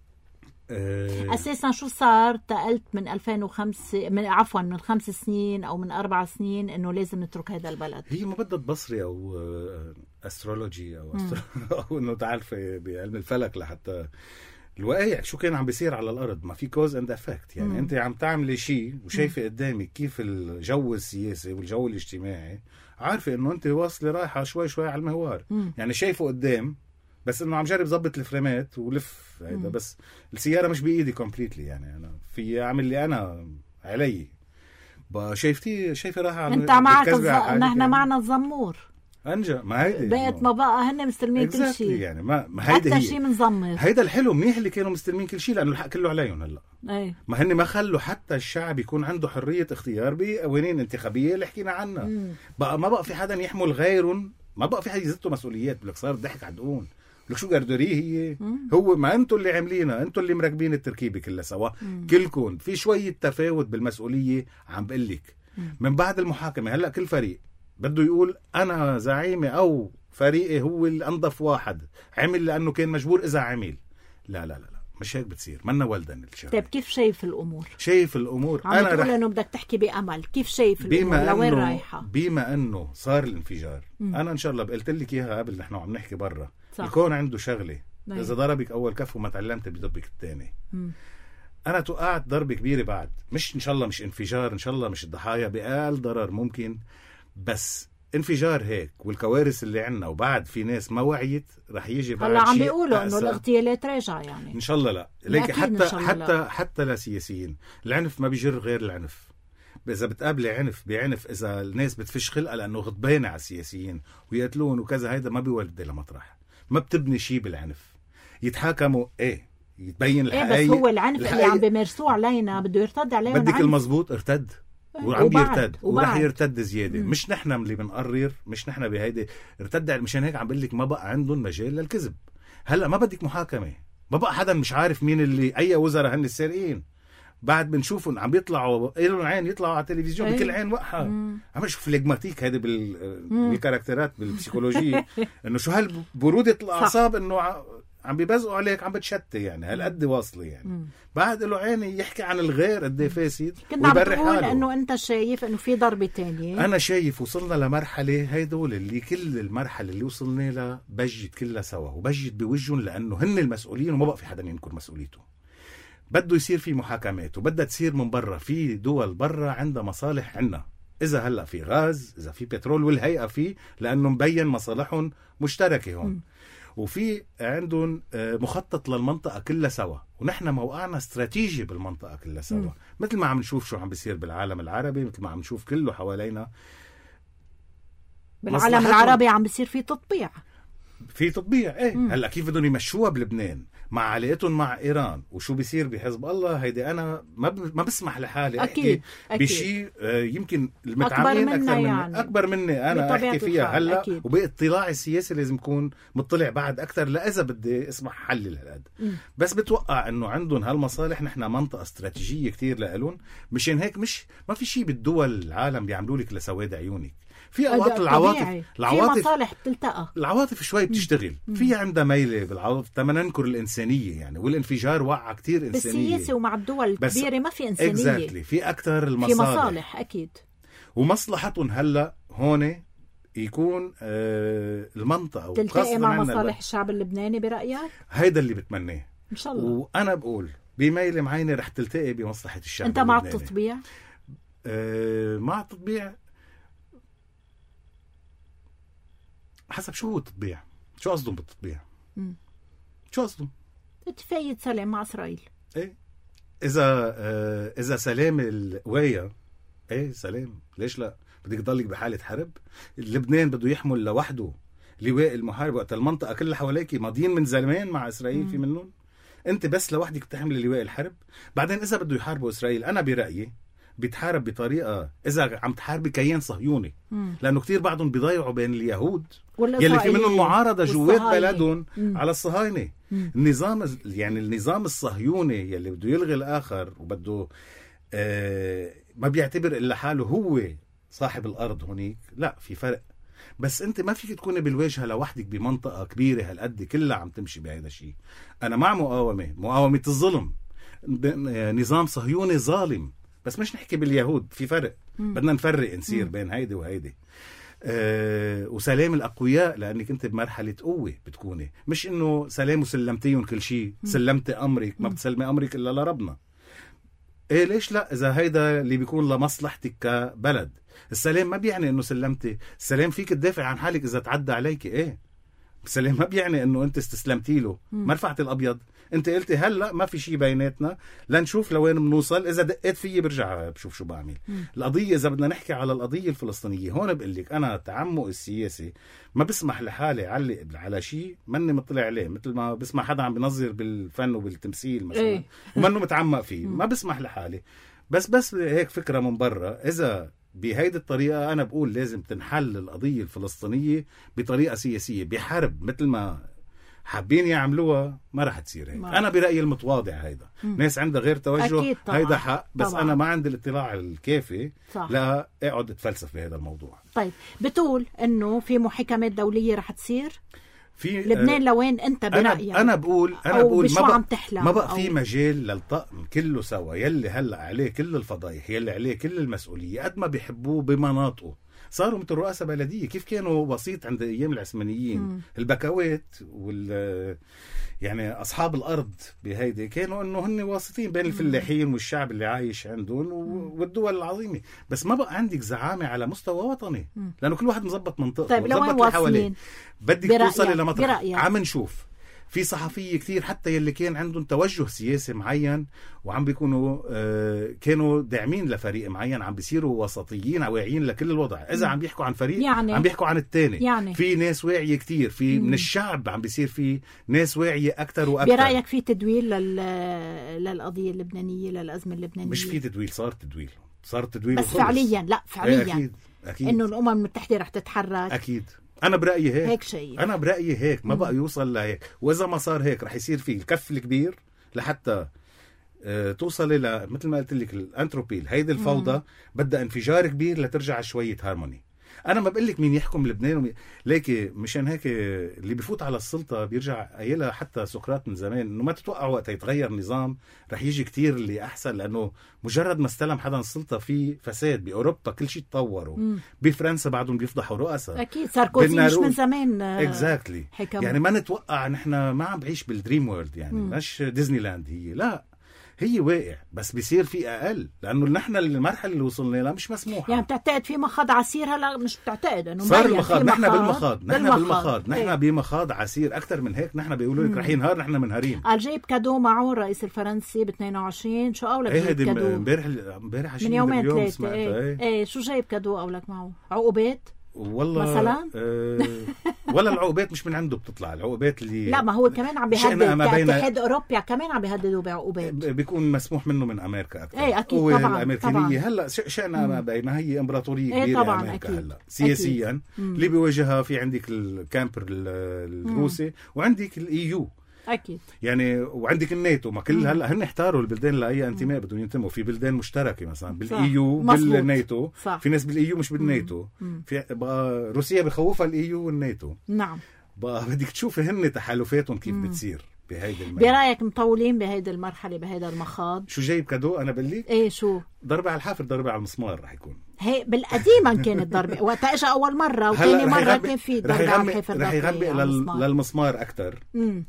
أه اساسا شو صار تقلت من ألفين وخمسة من عفوا من خمس سنين او من اربع سنين انه لازم نترك هذا البلد؟ هي ما بدها تبصري او استرولوجي او أسترو... او انه تعرفي بعلم الفلك لحتى الوقايع شو كان عم بيصير على الارض. ما في كوز اند افكت يعني. مم. انت عم تعملي شيء وشايفه قدامك كيف الجو السياسي والجو الاجتماعي، عارفه انه انت واصله رايحه شوي شوي على المهوار. مم. يعني شايفه قدام بس انه عم جرب ضبط الفريمات ولف هيدا، بس السياره مش بايدي كومبليتلي. يعني انا في اعمل اللي انا علي. شايفتي شايفه راح عم انت معك الز... نحن معنا الزمور انجا. ما هيدي بقت ما بقى هن مستلمين كل شيء يعني. ما ما هيدا حتى شيء منزمر. هيدا الحلو منيح اللي كانوا مستلمين كل شيء لانه الحق كله عليهم هلا. اي ما هن ما خلوا حتى الشعب يكون عنده حريه اختيار بقوانين انتخابيه اللي حكينا عنها. مم. بقى ما بقى في حدا يحمل غيرهم، ما بقى في حدا يزتوا مسؤوليات. بالك صار ضحك عدقون لك شو قردوريه هي مم. هو ما انتوا اللي عاملينها، انتوا اللي مركبين التركيبة كلها سوا مم. كلكم في شوية تفاوت بالمسؤولية. عم بقلك من بعد المحاكمة هلأ كل فريق بده يقول أنا زعيمي أو فريقي هو الأنظف واحد عمل لأنه كان مجبور إذا عمل. لا لا لا, لا. مش هيك بتصير، منا ولدن الشغل. طيب كيف شايف الأمور؟ شايف الأمور عم أنا تقول رح... إنه بدك تحكي بأمل، كيف شايف الأمور لوين رايحة؟ بما إنه صار الانفجار مم. أنا إن شاء الله قلت لك إياها قبل نحن عم نحكي برا، الكون عنده شغلة نعم. إذا ضربك أول كف وما تعلمت بيضربك الثاني. أنا توقعت ضربة كبيرة بعد، مش إن شاء الله مش انفجار، إن شاء الله مش الضحايا بأقل ضرر ممكن، بس انفجار هيك والكوارث اللي عنا وبعد في ناس ما وعيت رح يجي بعد هلا عم بيقولوا انه الاغتيالات راجعه يعني ان شاء الله. لا ليك حتى حتى لا. حتى لسياسيين العنف ما بيجر غير العنف. اذا بتقابلي عنف بعنف، اذا الناس بتفش خلقها لانه غضبانه على السياسيين ويقتلون وكذا، هيدا ما بيولد لمطرح، ما بتبني شيء بالعنف. يتحاكموا ايه يتبين الحقيقه إيه، بس هو العنف الحقيقة. اللي عم بيمارسوه علينا بده يرتد علينا. بدك المزبوط ارتد وعم يرتد ورح يرتد زياده. مم. مش نحن اللي بنقرر، مش نحن بهيدي ارتد. مشان هيك عم بقول لك ما بقى عندهم مجال للكذب. هلا ما بدك محاكمه، ما بقى حدا مش عارف مين اللي اي وزراء هن السارقين. بعد بنشوفهم عم بيطلعوا لهم عين يطلعوا على التلفزيون بكل عين وقحه. عم بشوف فليغماتيك هيدي بالكاركترات بالبسيكولوجيه انه شو هالبروده الاعصاب انه عم بيبزقوا عليك عم بتشتي يعني هالقد واصله يعني. مم. بعد له عيني يحكي عن الغير قد ايه فاسد ويبرر حاله. انه انت شايف انه في ضربه تانية. انا شايف وصلنا لمرحله هيدول اللي كل المرحله اللي وصلنا لها بجت كلها سوا وبجت بوجهن لانه هن المسؤولين وما بقى في حدا ينكر مسؤوليته. بده يصير في محاكمات وبدها تصير من برا. في دول برا عندها مصالح عنا، اذا هلا في غاز، اذا في بترول، والهيئه فيه لانه مبين مصالحهم مشتركه هون. م. وفي عندهم مخطط للمنطقة كلها سوا، ونحن موقعنا استراتيجي بالمنطقة كلها سوا. م. مثل ما عم نشوف شو عم بيصير بالعالم العربي، مثل ما عم نشوف كله حوالينا بالعالم العربي عم بيصير في تطبيع في تطبيع ايه. م. هلا كيف بدهم يمشوها بلبنان مع علاقتهم مع ايران وشو بيصير بحزب الله؟ هيدي انا ما ما بسمح لحالي احكي بشيء يمكن المتعاملين اكثر مني يعني. اكبر مني انا احكي فيها هلا. وباطلاعي السياسي لازم يكون مطلع بعد اكثر لا اذا بدي اسمح حلل هالقد. بس بتوقع انه عندهم هالمصالح. نحن منطقه استراتيجيه كتير لهم، مشان هيك مش ما في شيء بالدول العالم بيعملوا لك لسواد عيونك. في اوقات العواطف العواطف في مصالح بتلتقى، العواطف شوي بتشتغل. في عندها ميله بالعواطف تما ننكر الانسانيه يعني. والانفجار وقع كتير انسانيه بالسياسه ومع الدول الكبيره ما في انسانيه exactly. في اكثر المصالح، في مصالح اكيد. ومصلحتهم هلا هون يكون آه المنطقه تلتقي مع مصالح الشعب اللبناني برايك؟ هيدا اللي بتمناه ان شاء الله. وانا بقول بميل معينه رح تلتقي بمصلحه الشعب. انت مع التطبيع؟ آه مع التطبيع حسب شو هو التطبيع. شو قصدهم بالتطبيع؟ مم. شو قصدهم؟ اتفاقية سلام مع إسرائيل. ايه اذا آه اذا سلام القوايا ايه سلام، ليش لا؟ بدك تضلك بحالة حرب؟ لبنان بده يحمل لوحده لواء المحارب وقت المنطقة كلها حواليك ماضيين من زمان مع إسرائيل. مم. في منهم انت بس لوحدك بتحمل لواء الحرب. بعدين اذا بده يحاربوا إسرائيل انا برأيي بيتحارب بطريقة إذا عم تحاربي كيان صهيوني. مم. لأنه كتير بعضهم بيضيعوا بين اليهود يلي في منهم معارضة جوات بلدهم على الصهاينة. مم. النظام يعني النظام الصهيوني يلي بده يلغي الآخر وبده آه ما بيعتبر إلا حاله هو صاحب الأرض هونيك. لا في فرق. بس أنت ما فيك تكوني بالواجهة لوحدك بمنطقة كبيرة هالقد كلها عم تمشي بهذا الشيء. أنا مع مقاومة مقاومة الظلم. نظام صهيوني ظالم، بس مش نحكي باليهود، في فرق. مم. بدنا نفرق نصير مم. بين هيدي وهيدي. أه وسلام الأقوياء لأنك أنت بمرحلة قوة بتكوني، مش إنه سلام وسلمتيهم كل شيء. سلمت أمرك، ما بتسلمي أمرك إلا لربنا. إيه ليش لا؟ إذا هيدا اللي بيكون لمصلحتك كبلد. السلام ما بيعني إنه سلمتي. السلام فيك تدافع عن حالك إذا تعدى عليك. إيه السلام ما بيعني إنه أنت استسلمتي له. ما رفعت الأبيض، انت قلتي هلا ما في شيء بيناتنا لنشوف لوين بنوصل. اذا دقيت فيي برجع بشوف شو بعمل. مم. القضيه اذا بدنا نحكي على القضيه الفلسطينيه هون بقول لك انا تعمق السياسي ما بسمح لحالي علق على شيء ماني مطلع عليه. مثل ما بسمع حدا عم بنظر بالفن وبالتمثيل مثلا ايه؟ ومنه متعمق فيه. ما بسمح لحالي. بس بس هيك فكره من برا. اذا بهيدي الطريقه انا بقول لازم تنحل القضيه الفلسطينيه بطريقه سياسيه بحرب، مثل ما حابين يعملوها ما رح تصير هيك. انا برايي المتواضع هيدا مم. ناس عندها غير توجه هيدا حق، بس طبعاً. انا ما عندي الاطلاع الكافي صح. لا اقعد اتفلسف بهذا الموضوع. طيب بتقول انه في محاكمات دوليه رح تصير في لبنان، لوين انت برايك؟ انا انا بقول انا بقول ما بقى ما بقى في مجال للطقم كله سوا يلي هلا عليه كل الفضايح، يلي عليه كل المسؤوليه، قد ما بيحبوه بمناطقه. صاروا مثل رؤساء بلديه، كيف كانوا بسيط عند ايام العثمانيين. مم. البكوات وال يعني اصحاب الارض بهيدي كانوا انه هن واسطين بين الفلاحين والشعب اللي عايش عندهم والدول العظيمه، بس ما بقى عندك زعامه على مستوى وطني، لانه كل واحد مزبط منطقته. طيب لوين واصلين؟ بدك توصلي لمطرح. عم نشوف في صحفية كتير حتى يلي كان عندهم توجه سياسي معين وعم بيكونوا آه كانوا داعمين لفريق معين، عم بيصيروا وسطيين واعيين لكل الوضع. إذا عم بيحكوا عن فريق يعني عم بيحكوا عن التاني. يعني في ناس واعية كتير، في مم. من الشعب عم بيصير في ناس واعية أكتر وأكتر. برأيك في تدويل لل... للقضية اللبنانية، للأزمة اللبنانية؟ مش في تدويل، صار تدويل صار تدويل بس وخلص. فعليا لا فعليا أكيد. أكيد. إنه الأمم المتحدة رح تتحرك. أكيد أنا برأيي هيك. هيك شيء. أنا برأيي هيك ما بقى يوصل لهيك، وإذا ما صار هيك رح يصير فيه الكف الكبير لحتى اه توصل ل مثل ما قلت لك الأنتروبيل. هيدي الفوضى بدها انفجار كبير لترجع شوية هارموني. أنا ما بقول لك مين يحكم لبنان ومين... ليكي مشان هيك اللي بيفوت على السلطة بيرجع قايلها حتى سقراط من زمان إنه ما تتوقع وقت يتغير نظام رح يجي كتير اللي أحسن، لأنه مجرد ما استلم حدا السلطة في فساد. بأوروبا كل شيء تطوروا، بفرنسا بعدهم بيفضحوا رؤساء. أكيد ساركوزي مش من زمان اكزاكتلي exactly. يعني ما نتوقع نحن ما عم بعيش بالدريم وورلد، يعني مم. مش ديزني لاند هي، لا هي واقع بس بيصير في اقل، لانه نحن المرحله اللي وصلنا لها مش مسموحه. يعني بتعتقد في مخاض عسير؟ هلا مش بتعتقد انه صار المخاض؟ نحن بالمخاض نحن بالمخاض نحن بمخاض عسير اكثر من هيك. نحن بيقولوا لك رح ينهار، نحن منهارين. قال جايب كادو معه الرئيس الفرنسي ب اثنين وعشرين. شو قولك جايب كادو؟ امبارح امبارح من يومين ثلاثه. ايه. ايه شو جايب كادو قولك معه؟ عقوبات والله مثلا آه ولا العقوبات مش من عنده بتطلع العقوبات اللي لا ما هو كمان عم بيهدد كاتحاد اوروبا، كمان عم بيهددوا بعقوبات. بيكون مسموح منه من امريكا اكثر. ايه اكيد طبعا الامريكانيه هلا شئنا ما بينها هي امبراطوريه ايه كبيره طبعا امريكا. أكيد. هلا سياسيا اللي بيواجهها في عندك الكامبر الروسي وعندك الايو اكيد يعني، وعندك الناتو. ما كل هلا هن احتاروا البلدان لاي انتماء بدهم ينتموا. في بلدان مشتركه مثلا بالايو بالناتو، في ناس بالايو مش بالناتو. مم. في بقى روسيا بخوفها الايو والناتو. نعم بقى بدك تشوفي هن تحالفاتهم كيف مم. بتصير بهيدي المرحله. برايك مطولين بهيدي المرحله بهيدا المخاض؟ شو جايب كادو؟ انا بقلك ايه شو ضربه على الحافر، ضربه على المسمار رح يكون. هي بالقديما كانت ضربه وقت اجى اول مره، وثاني مره كان في ضربه على الحافر. رح يغبي للمسمار اكثر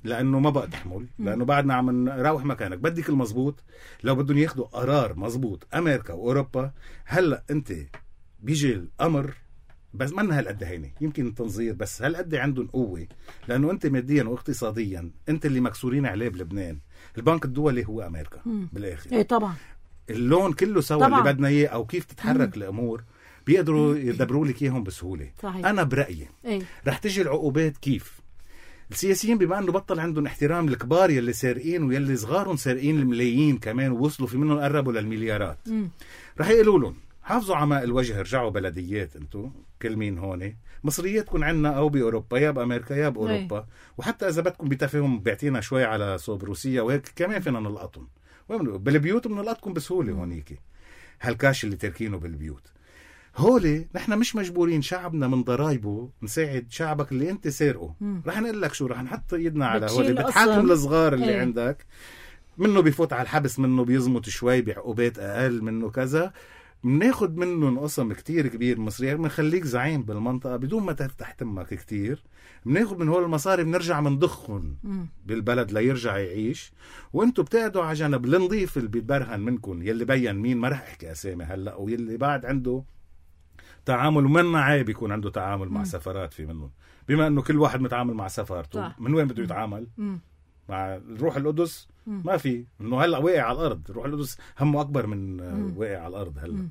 لانه ما بقى تحمل، لانه بعدنا عم نروح مكانك. بدك المزبوط لو بدهم ياخذوا قرار مزبوط امريكا واوروبا. هلا انت بيجي الامر بس ما هالقد هيني، يمكن التنظير بس هالقد عندهم قوه، لانه انت ماديا واقتصاديا انت اللي مكسورين عليه بلبنان. البنك الدولي هو امريكا مم. بالاخر. ايه طبعا اللون كله سوا طبعاً. اللي بدنا اياه او كيف تتحرك مم. الامور بيقدروا يدبروا لك اياهم بسهوله. صحيح. انا برايي ايه؟ رح تجي العقوبات كيف السياسيين بما انه بطل عندهم احترام الكبار يلي سارقين ويلي صغارهم سارقين الملايين كمان ووصلوا في منهم قربوا للمليارات. مم. رح يقولوا لهم حافظوا على ماء الوجه، ارجعوا بلديات انتم كل مين هون مصرياتكم عنا او باوروبا يا بامريكا يا باوروبا. وحتى اذا بدكم بتفهم بيعطينا شوي على صوب روسيا وهيك كمان فينا نلقطهم بالبيوت، بنلقطكم بسهوله هونيك. هالكاش اللي تركينه بالبيوت هولي نحن مش مجبورين شعبنا من ضرايبه نساعد شعبك اللي انت سارقه. رح نقول لك شو رح نحط ايدنا على هولي بتحاكم الصغار اللي ايه. عندك منه بيفوت على الحبس، منه بيزمت شوي بعقوبات اقل، منه كذا. بناخد منهم قسم كتير كبير مصري، بنخليك زعيم بالمنطقة بدون ما تفتح تمك كتير. بناخد من هول المصاري بنرجع منضخهم بالبلد ليرجع يعيش، وانتوا بتقعدوا على جنب. النظيف اللي بيتبرهن منكم يلي بين مين ما رح احكي اسامي هلا، ويلي بعد عنده تعامل ومنا عيب يكون عنده تعامل مع سفارات في منهم، بما انه كل واحد متعامل مع سفارته. من وين بده يتعامل؟ مم. مع روح القدس ما في، انه هلا واقع على الارض. روح القدس همه اكبر من واقع على الارض هلا.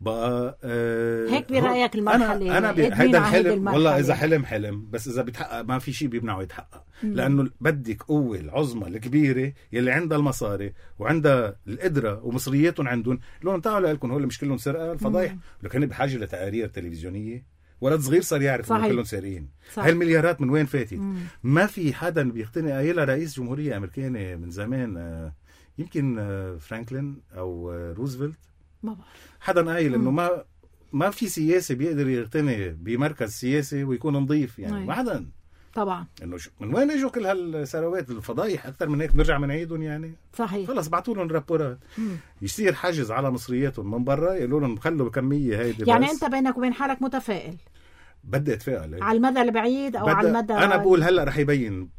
بقى آه هيك برايك المرحله؟ انا انا هيدا الحلم والله اذا حلم حلم، بس اذا بيتحقق ما في شيء بيمنعه يتحقق. مم. لانه بدك قوه العظمى الكبيره يلي عندها المصاري وعندها القدره ومصرياتهم عندهم. لون تعالوا لكم هول مش كلهم سرقه الفضايح، لكن بحاجه لتقارير تلفزيونيه ولد صغير صار يعرف انه كلهم سارقين. هاي المليارات من وين فاتت؟ مم. ما في حدا بيقتنع. قايلها رئيس جمهورية أمريكاني من زمان، آه يمكن آه فرانكلين أو آه روزفلت، ما بعرف حدا قايل إنه ما ما في سياسي بيقدر يقتنع بمركز سياسي ويكون نظيف يعني. ما حدا طبعا. انه من وين اجوا كل هالثروات؟ الفضايح اكثر من هيك بنرجع بنعيدهم يعني. صحيح. خلص بعثوا لهم رابورات مم. يصير حجز على مصرياتهم من برا، يقولوا لهم خلوا الكميه هيدي. يعني بس. انت بينك وبين حالك متفائل؟ بدي اتفائل على المدى البعيد او على المدى. انا بقول هلا رح يبين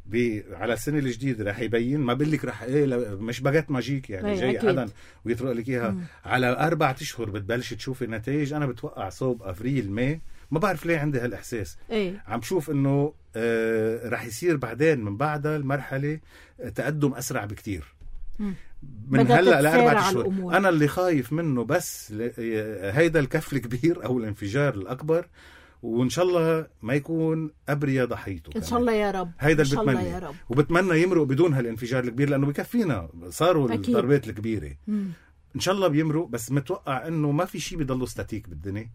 على السنه الجديده، رح يبين. ما بقول لك رح ايه مش باجت ماجيك يعني جاي حدا ويطرق لك اياها. على اربع اشهر بتبلش تشوفي النتائج. انا بتوقع صوب افريل ماي، ما بعرف ليه عندي هالاحساس. ايه؟ عم شوف انه آه رح يصير بعدين من بعدها المرحله تقدم اسرع بكتير. مم. من هلا لاربع اشهر. انا اللي خايف منه بس هيدا الكف الكبير او الانفجار الاكبر، وان شاء الله ما يكون ابرياء ضحيته. ان شاء الله يا رب. هيدا اللي بتمنى، وبتمنى يمرق بدون هالانفجار الكبير لانه بكفينا صاروا أكيد. الضربات الكبيره مم. ان شاء الله بيمرق. بس متوقع انه ما في شيء بيضله ستاتيك بالدنيا.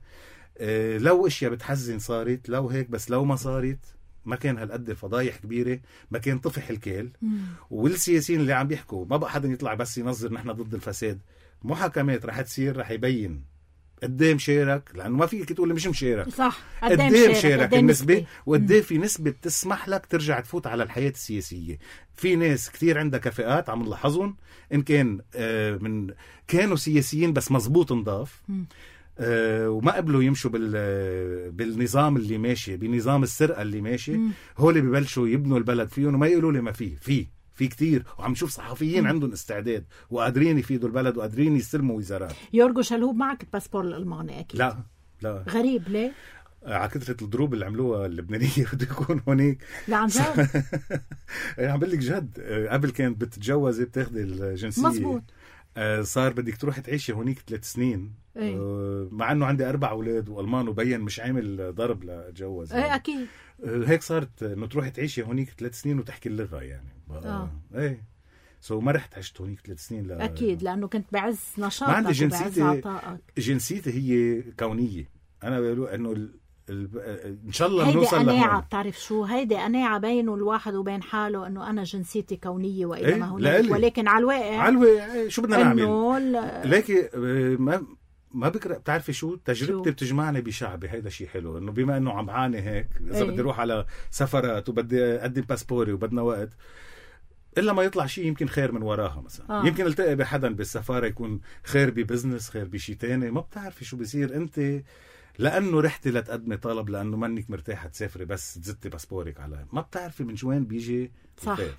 اه لو اشياء بتحزن صارت، لو هيك، بس لو ما صارت ما كان هالقد فضايح كبيره، ما كان طفح الكيل. مم. والسياسيين اللي عم بيحكوا ما بقى حدا يطلع بس ينظر نحن ضد الفساد. محاكمات رح تصير، رح يبين قديه مشارك، لانه ما فيك تقول مش مشارك. صح. قديه مشارك النسبه، وقديه في نسبه بتسمح لك ترجع تفوت على الحياه السياسيه. في ناس كثير عندها كفاءات عم نلاحظهم، ان كان آه من كانوا سياسيين بس مزبوط نضاف آه وما قبلوا يمشوا بال بالنظام اللي ماشي، بنظام السرقه اللي ماشي. هول ببلشوا يبنوا البلد فيهم وما يقولوا لي ما فيه في في كتير. وعم نشوف صحفيين مم. عندهم استعداد وقادرين يفيدوا البلد وقادرين يستلموا وزارات. يورغو شلهوب معك الباسبور الألماني أكيد؟ لا لا. غريب ليه؟ على كثرة الضروب اللي عملوها اللبنانية بده يكون هونيك. لا عن جد؟ عم بقول لك جد. قبل كانت بتتجوزي بتاخدي الجنسية. مزبوط. صار بدك تروح تعيشي هونيك ثلاث سنين. ايه؟ مع انه عندي اربع اولاد والمان وبين مش عامل ضرب لاتجوز. ايه اكيد. هيك صارت انه تروحي تعيشي هونيك ثلاث سنين وتحكي اللغه يعني. اه ايه سو ما رحت عشت هونيك ثلاث سنين. لا اكيد لانه كنت بعز نشاطك. ما عندي جنسيتي. جنسيتي هي كونيه. انا بقول انه ال... ال... ان شاء الله بنوصل لهون. هيدي قناعه. بتعرف شو هيدي قناعه بينه الواحد وبين حاله انه انا جنسيتي كونيه واذا ايه؟ ما هناك. ولكن على الواقع على الواقع شو بدنا نعمل؟ ل... لكن ما ما بكره. بتعرفي شو تجربتي بتجمعني بشعبي. هيدا شيء حلو انه بما انه عم عاني هيك اذا ايه؟ بدي اروح على سفرات وبدي اقدم باسبوري وبدنا وقت الا ما يطلع شيء يمكن خير من وراها مثلا. آه. يمكن التقي بحدا بالسفاره يكون خير ببزنس، خير بشيء تاني. ما بتعرفي شو بيصير. انت لانه رحتي لتقدمي طلب لانه منك مرتاحه تسافري بس تزتي باسبورك على ما بتعرفي من وين بيجي الخير.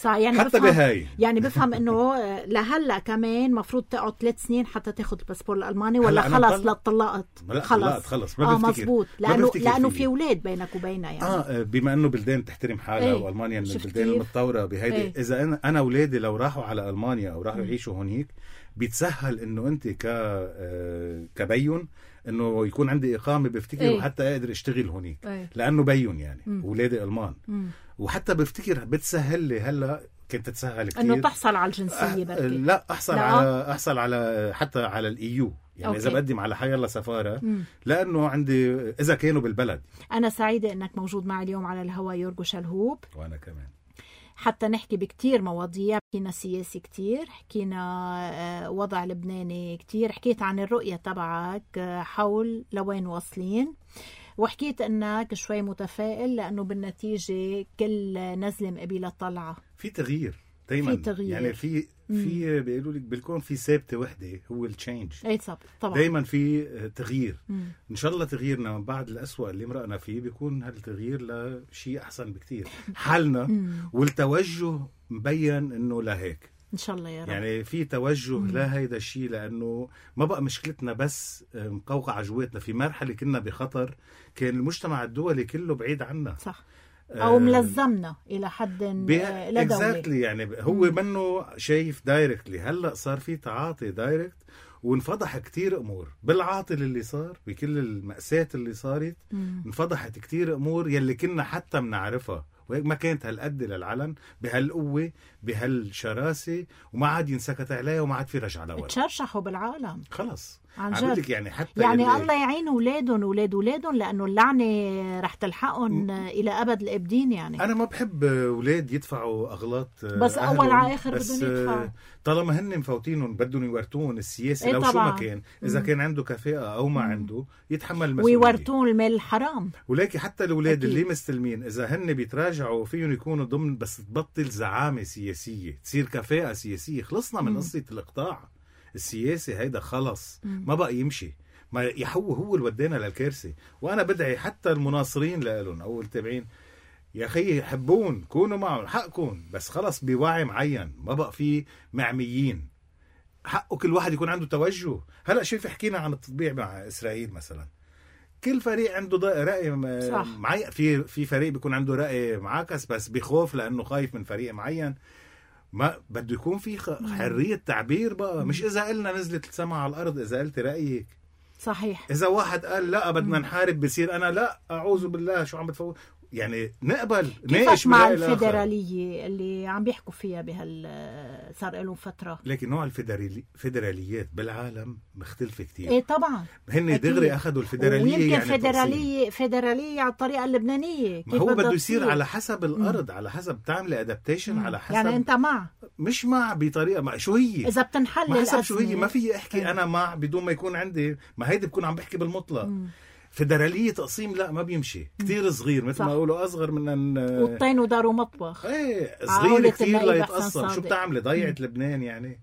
صح. يعني حتى بهاي يعني بفهم انه لهلا كمان مفروض تقعد ثلاث سنين حتى تاخذ الباسبور الالماني ولا خلص لا طلقت خلص خلص ما بفتكر. اه مزبوط. لانه لانه في اولاد بينك وبينها يعني. اه بما انه بلدان تحترم حالها. ايه؟ والمانيا من البلدان المتطوره بهيدي. ايه؟ اذا انا انا اولادي لو راحوا على المانيا او راحوا يعيشوا هونيك بيتسهل انه انت ك كبين انه يكون عندي اقامه بفتكر. ايه؟ وحتى اقدر اشتغل هونيك. ايه؟ لانه بين يعني اولادي المان. مم. وحتى بفتكر بتسهل لي هلا كنت تسهل كتير انه تحصل على الجنسيه. أه لا احصل لا. على احصل على حتى على الايو يعني. أوكي. اذا بقدم على حي الله سفاره. مم. لانه عندي اذا كانوا بالبلد. انا سعيده انك موجود معي اليوم على الهواء يورغو شلهوب. وانا كمان حتى نحكي بكتير مواضيع. حكينا سياسي كتير، حكينا وضع لبناني كتير، حكيت عن الرؤيه تبعك حول لوين واصلين، وحكيت انك شوي متفائل لانه بالنتيجه كل نزله مقبله طلعه. في تغيير دايما. في تغيير. يعني في في بيقولوا لك بالكون في ثابته وحده هو التشينج. اي طبعا. دايما في تغيير. مم. ان شاء الله تغييرنا من بعد الأسوأ اللي مرقنا فيه بيكون هالتغيير لشيء احسن بكتير. حالنا مم. والتوجه مبين انه لهيك ان شاء الله يا رب. يعني في توجه لهيدا الشيء لانه ما بقى مشكلتنا بس مقوقعه جواتنا. في مرحله كنا بخطر كان المجتمع الدولي كله بعيد عنا. صح. او ملزمنا الى حد لا دولي. يعني هو منه شايف دايركتلي. هلا صار في تعاطي دايركت وانفضح كتير امور بالعاطل اللي صار بكل المأساة اللي صارت. مم. انفضحت كتير امور يلي كنا حتى بنعرفها وهيك ما كانت هالقد للعلن بهالقوه بهالشراسه وما عاد ينسكت عليها وما عاد في رجعه لورا. تشرشحوا بالعالم خلص. عن عم جد يعني حتى يعني اللي... الله يعين اولادهم اولاد اولادهم لانه اللعنه رح تلحقهم م... الى ابد الابدين. يعني انا ما بحب اولاد يدفعوا اغلاط بس اول على اخر بدهم يدفعوا طالما هن مفوتينهم بدهم يورتون السياسي. إيه لو طبعا. شو ما كان اذا م. كان عنده كفاءه او ما م. عنده يتحمل المسؤوليه ويورتون المال الحرام. ولكن حتى الاولاد اللي مستلمين اذا هن بيتراجعوا فيهم يكونوا ضمن بس تبطل زعامه سياسيه تصير كفاءه سياسيه. خلصنا من م. قصه الاقطاع السياسي هيدا خلص م. ما بقى يمشي. ما يحو هو اللي ودينا للكارثه. وانا بدعي حتى المناصرين لهم او التابعين يا اخي يحبون كونوا معهم حقكم بس خلص بوعي معين ما بقى في معميين. حقه كل واحد يكون عنده توجه. هلا شوف حكينا عن التطبيع مع اسرائيل مثلا كل فريق عنده راي معين. في في فريق بيكون عنده راي معاكس بس بخوف لانه خايف من فريق معين. ما بده يكون في حريه تعبير بقى. مش اذا قلنا نزلت السما على الارض اذا قلت رايك صحيح. اذا واحد قال لا بدنا نحارب بصير انا لا اعوذ بالله شو عم بتفوت. يعني نقبل ناقش مع الفيدراليه اللي عم بيحكوا فيها بهال صار لهم فتره. لكن نوع الفيدراليات بالعالم مختلفه كتير. ايه طبعا هن دغري اخذوا الفيدراليه. ويمكن يعني فيدراليه فيدراليه على الطريقه اللبنانيه. ما هو بده يصير على حسب الارض. مم. على حسب تعمل ادابتيشن على حسب. يعني انت مع مش مع بطريقه مع شو هي اذا بتنحل ما حسب شو هي. ما في احكي مم. انا مع بدون ما يكون عندي. ما هيدي بكون عم بحكي بالمطلق. مم. فيدرالية تقسيم لا ما بيمشي. كتير صغير مثل ما يقولوا أصغر من أن والطين وداروا مطبخ. ايه صغير كتير لا يتقسم. شو بتعمل ضيعت لبنان يعني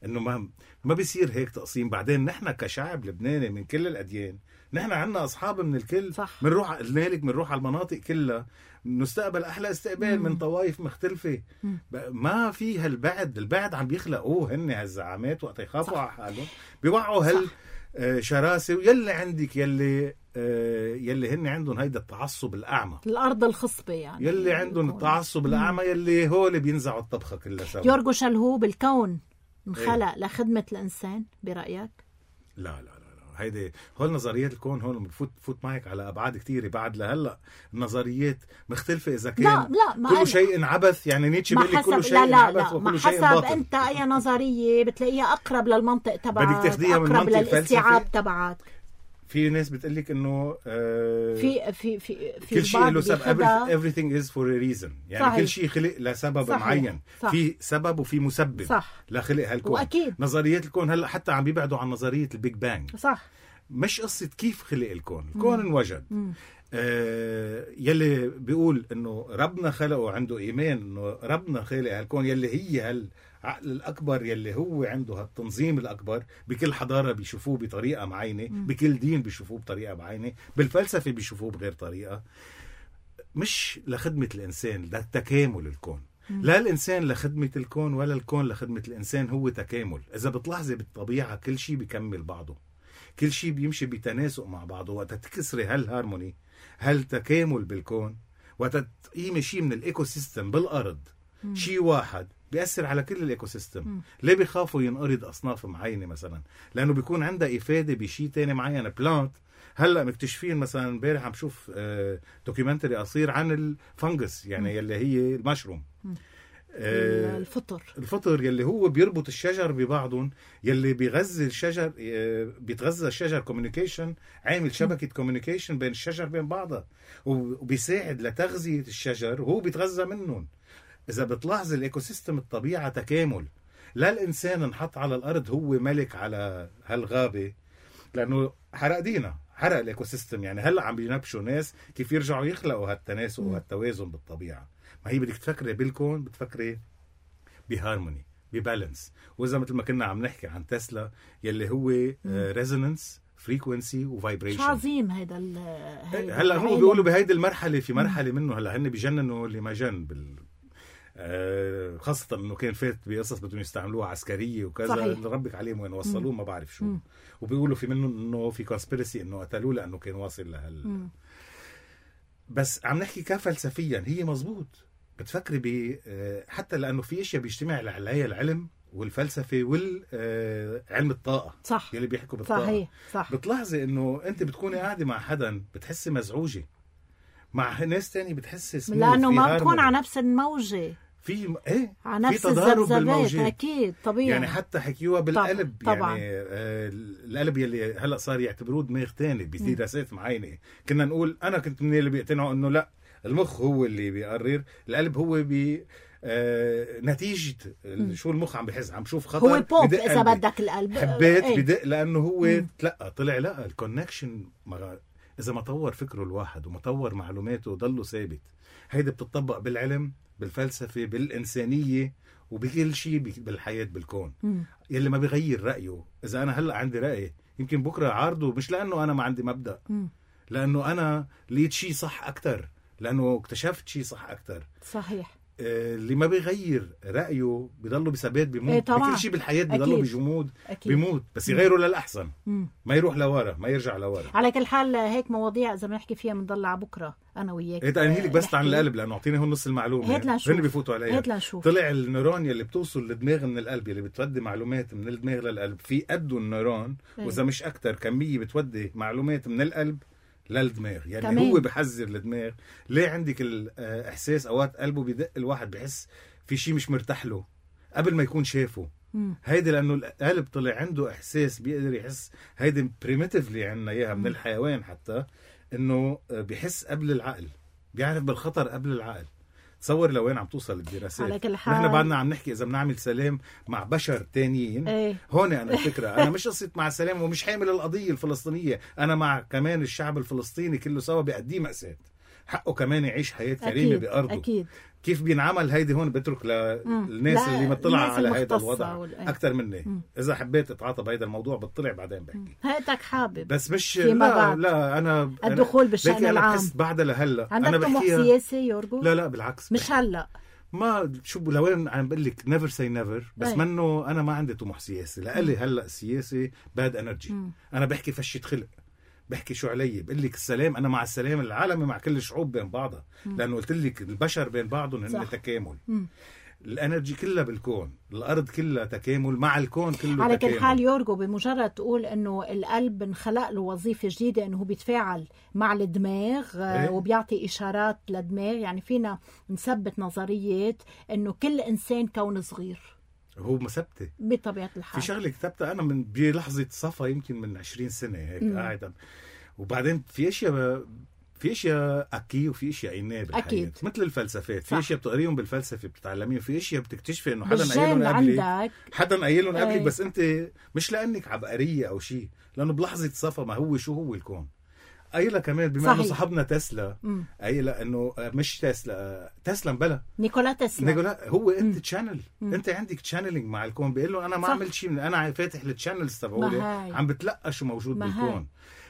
إنه ما ما بيصير هيك تقسيم. بعدين نحن كشعب لبناني من كل الأديان نحن عنا أصحاب من الكل. بنروح لذلك بنروح على المناطق كلها نستقبل أحلى استقبال مم. من طوائف مختلفة. مم. ما في هالبعد. البعد عم بيخلقوه هن هالزعامات وقت يخافوا على حالهم بيوعوا هال آه شراسة. ويلي عندك يلي آه يلي هن عندهم هيدا التعصب الأعمى. الأرض الخصبة يعني. يلي عندهم التعصب الأعمى يلي هو اللي بينزعوا الطبخة كلها سوا. يورغو شلهوب الكون انخلق ايه؟ لخدمة الإنسان برأيك؟ لا لا لا هيدي هول نظريات الكون هون بفوت فوت معك على ابعاد كثيره. بعد لهلا النظريات مختلفه اذا كان لا لا كل شيء عبث. يعني نيتشه بيقول كل شيء لا لا عبث لا وكل شيء باطل. حسب انت اي نظريه بتلاقيها اقرب للمنطق تبعك. بدك تاخذيها من منطق للاستيعاب تبعك. في ناس بتقول لك انه آه في في في في كل شيء له سبب. everything is for a reason. يعني صحيح. كل شيء خلق لسبب صحيح. معين صح. في سبب وفي مسبب صح. لخلق هالكون. وأكيد. نظريات الكون هلا حتى عم بيبعدوا عن نظريه البيج بانج. صح. مش قصة كيف خلق الكون. الكون مم. انوجد. آه يلي بيقول انه ربنا خلقه عنده ايمان انه ربنا خلق هالكون يلي هي هالعقل الاكبر يلي هو عنده هالتنظيم الاكبر. بكل حضارة بيشوفوه بطريقة معينة. مم. بكل دين بيشوفوه بطريقة معينة. بالفلسفة بيشوفوه بغير طريقة. مش لخدمة الانسان ده تكامل الكون. مم. لا الانسان لخدمة الكون ولا الكون لخدمة الانسان. هو تكامل. اذا بتلاحظي بالطبيعة كل شيء بيكمل بعضه. كل شيء بيمشي بتناسق مع بعضه. وقت تكسري هالهارموني هالتكامل بالكون وقت تقيمي شيء من الايكو سيستم بالارض مم. شيء واحد بيأثر على كل الايكو سيستم. مم. ليه بيخافوا ينقرض اصناف معينه مثلا؟ لانه بيكون عندها افاده بشيء تاني معين. بلانت هلا مكتشفين مثلا امبارح عم شوف آه دوكيومنتري قصير عن الفنجس يعني مم. يلي هي المشروم. مم. آه الفطر الفطر يلي هو بيربط الشجر ببعضهم. يلي بيغذي الشجر آه بيتغذى الشجر كوميونيكيشن. عامل شبكة كوميونيكيشن بين الشجر بين بعضها وبيساعد لتغذية الشجر وهو بيتغذى منهم. إذا بتلاحظ الإيكو سيستم الطبيعة تكامل. لا الإنسان انحط على الأرض هو ملك على هالغابة لأنه حرق دينا حرق الإيكو سيستم. يعني هلأ عم بينبشوا ناس كيف يرجعوا يخلقوا هالتناسق وهالتوازن بالطبيعة. ما هي بدك تفكري بالكون بتفكري بهارموني ببالانس. وإذا مثل ما كنا عم نحكي عن تسلا يلي هو ريزونانس فريكوينسي وفايبريشن. عظيم هيدا هلا هو بيقولوا بهيدي المرحله في مرحله منه هلا هن بيجننوا اللي ما جن بال آه خاصه انه كان فات بقصص بدهم يستعملوها عسكريه وكذا. ربك عليهم وين وصلوه ما بعرف شو. مم. وبيقولوا في منه انه في كونسبيرسي انه قتلوه لانه كان واصل لهال مم. بس عم نحكي كفلسفيا هي مزبوط. بتفكري ب حتى لانه في اشياء بيجتمع عليها العلم والفلسفه والعلم الطاقه صح. يلي بيحكوا بالطاقه صحيح صح. بتلاحظي انه انت بتكوني قاعده مع حدا بتحسي مزعوجه مع ناس تاني بتحسي لانه ما بتكون على نفس الموجه. في ايه على في نفس تضارب الذبذبات بالموجات اكيد طبيعي يعني حتى حكيوها بالقلب طبعا. طبعا. يعني آه القلب يلي هلا صار يعتبروه دماغ تاني بدراسات معينه. كنا نقول انا كنت من اللي بيقتنعوا انه لا المخ هو اللي بيقرر، القلب هو بي آه نتيجة م. شو المخ عم بحس، عم شوف خطر هو بوب إذا بدك القلب حبيت ايه؟ بدق لأنه هو تلقى طلع لا الكونكشن إذا ما طور فكره الواحد وما طور معلوماته ضله ثابت. هيدا بتطبق بالعلم بالفلسفة بالإنسانية وبكل شيء بالحياة بالكون. م. يلي ما بيغير رأيه، إذا أنا هلأ عندي رأي يمكن بكرة عارضه، مش لأنه أنا ما عندي مبدأ م. لأنه أنا لقيت شيء صح أكتر، لأنه اكتشفت شيء صح أكتر. صحيح. اللي ما بيغير رأيه بيضله بثبات بيموت. إيه بكل شيء بالحياة بيضله بجمود بيموت، بس يغيره للأحسن. مم. ما يروح لورا، ما يرجع لورا. على كل حال هيك مواضيع إذا بنحكي فيها بنضل على بكرة أنا وياك. هيك أنهي لك بس عن القلب لأنه أعطيني هون نص المعلومة. هيك لنشوف. هن بيفوتوا عليها. هيك لنشوف. طلع النيرون يلي بتوصل للدماغ من القلب يلي بتودي معلومات من الدماغ للقلب في قده النيرون، إيه؟ وإذا مش أكتر كمية بتودي معلومات من القلب للدماغ. يعني كمان. هو بحذر الدماغ. ليه عندك الإحساس أوقات قلبه بيدق الواحد بحس في شيء مش مرتاح له قبل ما يكون شافه. هيدا لأنه القلب طلع عنده إحساس بيقدر يحس. هيدا بريميتيفلي عنا إياها من الحيوان حتى، إنه بيحس قبل العقل، بيعرف بالخطر قبل العقل. تصور لوين عم توصل الدراسات. نحن بعدنا عم نحكي إذا بنعمل سلام مع بشر تانيين. ايه. هون أنا الفكرة أنا مش قصة مع السلام ومش حامل القضية الفلسطينية، أنا مع كمان الشعب الفلسطيني كله سوا بيقديه مأساة، حقه كمان يعيش حياة كريمة بأرضه. أكيد. كيف بينعمل هيدي هون بترك للناس اللي مطلع على هيدا الوضع وال... أكتر مني. مم. إذا حبيت أتعاطى بهيدا الموضوع بتطلع بعدين بحكي. هيتك حابب بس مش لا لا أنا الدخول بالشأن العام. أنا بحس بعد لهلا أنا بحكيها سياسي يورجو. لا لا بالعكس مش هلا ما شو لوين عم بقول لك نيفر سي نيفر، بس منه أنا ما عندي طموح سياسي. لقلي هلا السياسي باد انرجي. أنا بحكي فشة خلق، بحكي شو علي بقول لك السلام. انا مع السلام العالمي مع كل الشعوب بين بعضها، لانه قلت لك البشر بين بعضهم هن تكامل. مم. الانرجي كلها بالكون، الارض كلها تكامل مع الكون كله. على تكامل. كل حال يورجو بمجرد تقول انه القلب انخلق له وظيفه جديده انه بيتفاعل مع الدماغ. إيه؟ وبيعطي اشارات للدماغ. يعني فينا نثبت نظريات انه كل انسان كون صغير. هو مثبته بطبيعة الحال. في شغله كتبتها انا من بلحظه صفا يمكن من عشرين سنة هيك قاعد. وبعدين في اشياء في اشياء اكيد وفي اشياء عينيه بالحياه. أكيد. مثل الفلسفات، في اشياء بتقريهم بالفلسفه بتتعلميها، في اشياء بتكتشفي انه حدا قايلهم قبلك حدا قايلهم قبلك، بس انت مش لانك عبقريه او شيء، لانه بلحظه صفا ما هو شو هو الكون. قايلة كمان بما انه صاحبنا تسلا قايلة انه مش تسلا تسلا بلا نيكولا تسلا نيكولا هو انت تشانل. انت عندك تشانلينج مع الكون. بيقول له انا ما عملت شيء، انا فاتح التشانلز تبعولي عم بتلقى شو موجود بالكون.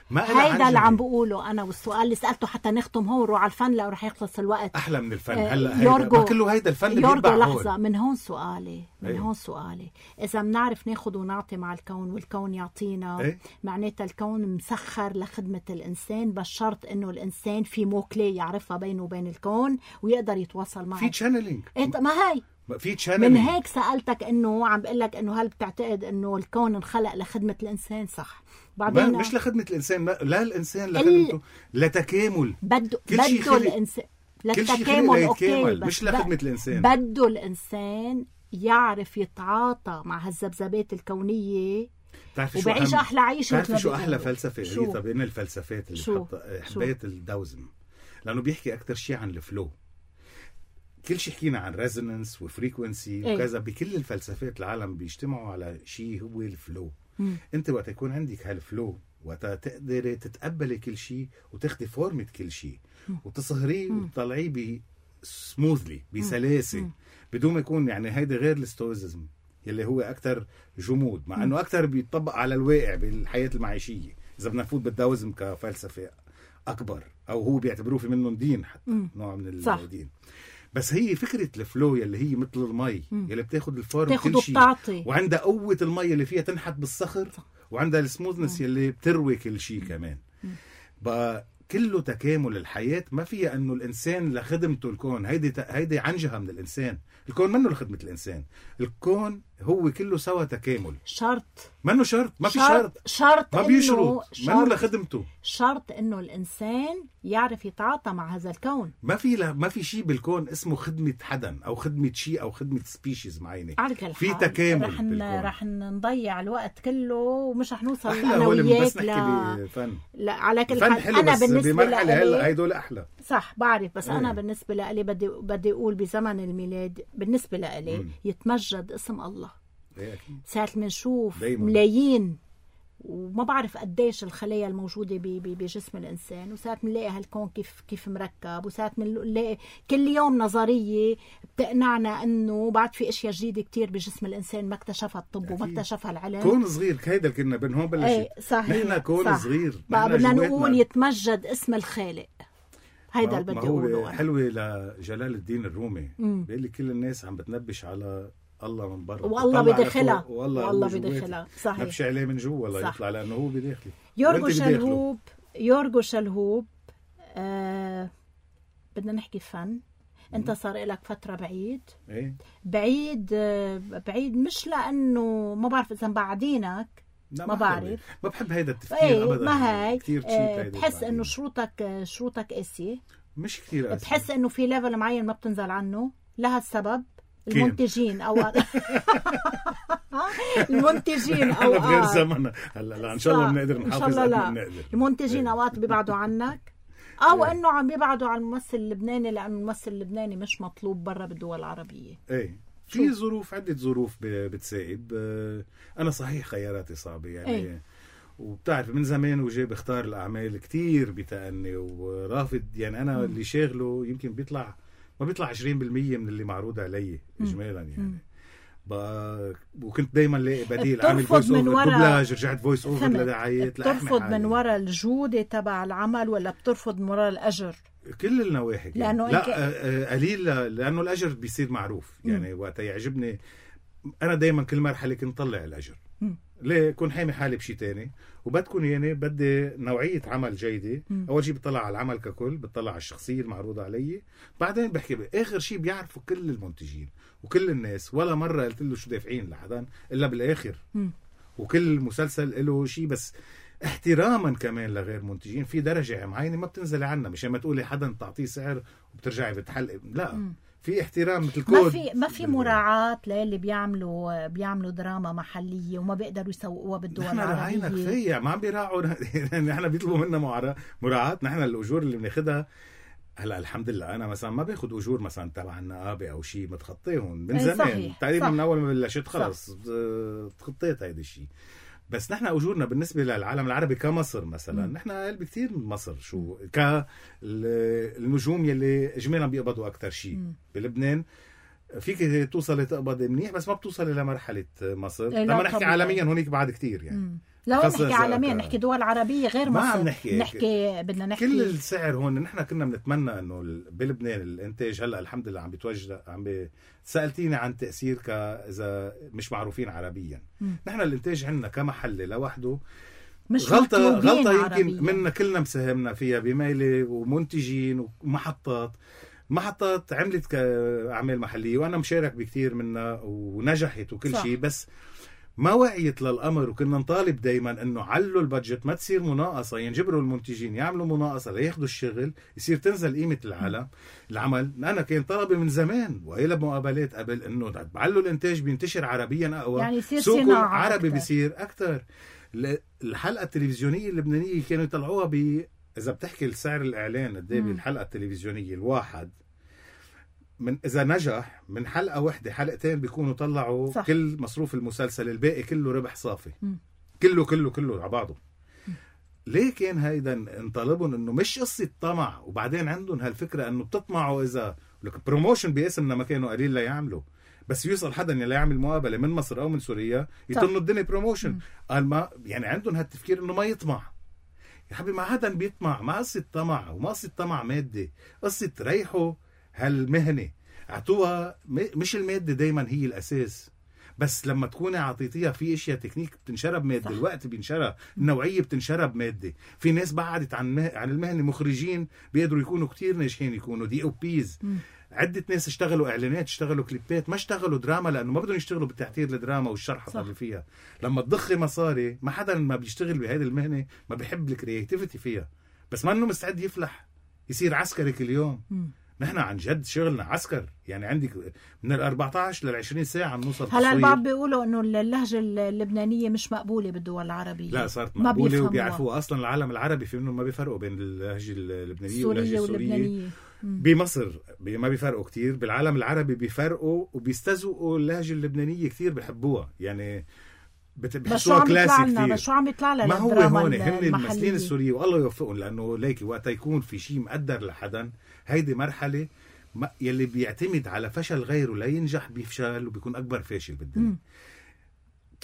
ما هيدا اللي عم بقوله انا، والسؤال اللي سالته حتى نختم هون روح على الفن لو رح يخلص الوقت. احلى من الفن. هلا هيدا كله هيدا الفن اللي يورجو لحظه من هون سؤالي من أيه. هون سؤالي اذا بنعرف ناخذ ونعطي مع الكون والكون يعطينا، أيه؟ معناتها الكون مسخر لخدمه الانسان، بس شرط انه الانسان في موكلي يعرفها بينه وبين الكون ويقدر يتواصل معه. في تشانلينج. إيه ما هي في تشانلينج. من هيك سالتك انه عم بقول لك انه هل بتعتقد انه الكون انخلق لخدمه الانسان؟ صح. بعدين مش لخدمه الانسان، لا الانسان لخدمته ال... لتكامل. بده بده الانسان للتكامل. اوكي مش لخدمه الانسان. بده الانسان يعرف يتعاطى مع هالذبذبات الكونيه وبعيش احلى عيشه. بتعرفي شو احلى فلسفه هي؟ طب ان الفلسفات اللي حطها حبيت الداوزم، لانه بيحكي اكثر شيء عن الفلو. كل شيء حكينا عن ريزونانس وفريكونسي وكذا، بكل الفلسفات العالم بيجتمعوا على شيء هو الفلو. مم. انت وقت يكون عندك هالفلو وقت تقدري تتقبلي كل شيء وتاخدي فورمة كل شيء وتصهريه وتطلعيه بسموثلي بسلاسة بدون ما يكون يعني هيدا غير الستويزم يلي هو أكتر جمود، مع أنه أكتر بيطبق على الواقع بالحياة المعيشية. إذا بدنا نفوت بالداوزم كفلسفة أكبر، أو هو بيعتبروه في منهم دين حتى. مم. نوع من الدين. بس هي فكرة الفلو يلي هي مثل المي يلي بتاخد الفورم كل شيء، وعندها قوة المي اللي فيها تنحت بالصخر، وعندها السموثنس يلي بتروي كل شيء كمان. بقى كله تكامل. الحياة ما فيها أنه الإنسان لخدمته الكون، هيدي هيدي عنجها من الإنسان. الكون منه لخدمة الإنسان، الكون هو كله سوا تكامل. شرط منه شرط، ما في شرط شرط, شرط ما بيشرط، منه لخدمته. شرط إنه الإنسان يعرف يتعاطى مع هذا الكون. ما في لا ما في شيء بالكون اسمه خدمة حدا أو خدمة شيء أو خدمة سبيشيز معينة. في تكامل رح بالكون. رح نضيع الوقت كله ومش رح نوصل أنا وياك بس نحكي بفن. لا على كل حال أنا بالنسبة لي هلا هيدول أحلى. صح بعرف، بس ايه. أنا بالنسبة لي بدي بدي أقول بزمن الميلاد بالنسبة لي يتمجد اسم الله. ايه ساعة منشوف ملايين وما بعرف قديش الخلايا الموجودة بجسم الإنسان، وساعة منلاقي هالكون كيف كيف مركب، وساعة منلاقي كل يوم نظرية بتقنعنا إنه بعد في أشياء جديدة كتير بجسم الإنسان ما اكتشفها الطب وما اكتشفها العلم. كون صغير هيدا كنا بين هون بلشت. ايه صحيح. نحن كون صح. صغير بقى بدنا نقول يتمجد اسم الخالق. هيدا اللي بدي أقوله. حلوة لجلال الدين الرومي بيقول لي كل الناس عم بتنبش على الله من برا والله بداخلها والله بداخلها. صحيح. نبشي عليه من جوا ولا يطلع لأنه هو بداخلي. يورغو شلهوب يورغو شلهوب آه بدنا نحكي فن. انت صار لك فترة بعيد. ايه؟ بعيد آه بعيد مش لأنه ما بعرف إذا بعدينك ما, ما بعرف. ما بحب هيدا التفكير ايه أبدا. ما هاي كتير آه بحس إنه شروطك شروطك قاسية. مش كتير قاسية. بحس إنه في ليفل معين ما بتنزل عنه. لها السبب المنتجين او المنتجين او غير زمن هلا لا ان شاء الله بنقدر نحافظ قد ما بنقدر. المنتجين اوقات بيبعدوا عنك او انه عم بيبعدوا عن الممثل اللبناني لانه الممثل اللبناني مش مطلوب برا بالدول العربيه. ايه في ظروف عده ظروف بتساعد. انا صحيح خياراتي صعبه يعني ايه. وبتعرف من زمان وجاي بختار الاعمال كتير بتأني ورافض يعني انا م. اللي شاغله يمكن بيطلع ما بيطلع عشرين بالمية من اللي معروض علي إجمالا يعني. وكنت دايما لاقي بديل عامل فويس اوفر دوبلاج رجعت فويس اوفر لدعايات. بترفض من وراء الجودة تبع العمل ولا بترفض من وراء الأجر؟ كل النواحي لأنه لا إنك... قليل لأنه الأجر بيصير معروف يعني. وقت يعجبني أنا دايما كل مرحلة كنت طلع الأجر. م. ليه كون حامي حالي بشي تاني وبدكن يعني بدي نوعية عمل جيدة. م. أول شيء بتطلع على العمل ككل، بتطلع على الشخصية المعروضة علي، بعدين بحكي آخر شيء بيعرفوا كل المنتجين وكل الناس. ولا مرة قلت له شو دافعين لحدا إلا بالآخر. م. وكل مسلسل له شيء بس احتراما كمان لغير منتجين في درجة معينة ما بتنزل عنا مش ما تقولي حدا تعطيه سعر وبترجعي بتحلق. لا م. في احترام مثل كود. ما في ما في مراعاة للي بيعملوا بيعملوا دراما محلية وما بيقدروا يسوقوها بالدول العربية. نحن راعينا كفاية ما عم بيراعوا. نحن بيطلبوا منا مراعاة. نحن الأجور اللي بناخدها هلا الحمد لله أنا مثلا ما باخد أجور مثلا تبع النقابة أو شيء متخطيهم من زمان تقريبا من أول ما بلشت خلص تخطيت هيدا الشيء. بس نحن أجورنا بالنسبة للعالم العربي كمصر مثلا م. نحن أقل بكتير من مصر. شو كالنجوم يلي إجمالا بيقبضوا أكتر شيء بلبنان فيك توصل تقبض منيح بس ما بتوصل إلى مرحلة مصر. لما نحكي عالميا هونيك بعد كتير يعني م. لو نحكي عالميا نحكي دول عربية غير مصر. ما عم نحكي نحكي بدنا نحكي كل السعر هون. نحن كنا بنتمنى انه بلبنان الانتاج هلا الحمد لله عم بيتوجه عم بي... سألتيني عن تأثير ك اذا مش معروفين عربيا. م. نحن الانتاج عندنا كمحل لوحده مش غلطة غلطة يمكن منا كلنا مساهمنا فيها بميلة ومنتجين ومحطات محطات عملت كأعمال محلية وانا مشارك بكتير منها ونجحت وكل شيء بس ما وعيت للأمر. وكنا نطالب دايما انه علوا البادجت ما تصير مناقصة ينجبروا المنتجين يعملوا مناقصة لياخدوا الشغل يصير تنزل قيمة العالم العمل. انا كان طلبي من زمان وإلى مقابلات قبل انه بعلوا الانتاج بينتشر عربيا اقوى يعني سوق عربي بيصير اكتر. الحلقة التلفزيونية اللبنانية كانوا يطلعوها ب اذا بتحكي السعر الاعلان قد ايه بالحلقة التلفزيونية الواحد من إذا نجح من حلقة واحدة حلقتين بيكونوا طلعوا صح. كل مصروف المسلسل الباقي كله ربح صافي. م. كله كله كله على بعضه. م. ليه كان هيدا انطلبون انه مش قصة طمع وبعدين عندهم هالفكرة انه بتطمعوا اذا لك بروموشن باسمنا ما كانوا قليل لا يعملوا بس يوصل حدا اللي يعمل مقابلة من مصر او من سوريا يطلوا الدنيا بروموشن. قال ما يعني عندهم هالتفكير انه ما يطمع. يا حبيبي ما حدا بيطمع. ما قصة طمع وما قصة طمع مادي قصة ريحوا هالمهنة اعطوها مش المادة دايما هي الأساس بس لما تكوني عطيتيها في اشياء تكنيك بتنشرب ماده، الوقت بينشرب، النوعيه بتنشرب ماده. في ناس بعدت عن مه... عن المهنه، مخرجين بيقدروا يكونوا كتير ناجحين، يكونوا دي او بيز. عده ناس اشتغلوا اعلانات، اشتغلوا كليبات، ما اشتغلوا دراما لانه ما بدهم يشتغلوا بالتحضير الدراما والشرح اللي فيها. لما تضخي مصاري، ما حدا ما بيشتغل بهذه المهنه ما بيحب الكرياتيفيتي فيها، بس ما انه مستعد يفلح يصير عسكري كل يوم. م. نحن عن جد شغلنا عسكر، يعني عندك من ال أربعة عشر لل عشرين ساعة نوصل. هلا البعض بيقولوا انه اللهجة اللبنانية مش مقبولة بالدول العربية. لا صارت مقبولة وبيعرفوها اصلا. العالم العربي في منهم ما بيفرقوا بين اللهجة اللبنانية واللهجة السورية. بمصر ما بيفرقوا كتير، بالعالم العربي بيفرقوا وبيستذوقوا اللهجة اللبنانية كتير، بيحبوها يعني بحسوها كلاسيك كتير. شو عم يطلع لنا ما هو هون هن الممثلين السوريين والله يوفقهم، لانه ليكي وقت يكون في شيء مقدر لحدا، هيدي مرحله يلي بيعتمد على فشل غيره لينجح بيفشل وبيكون اكبر فاشل بالدنيا. م.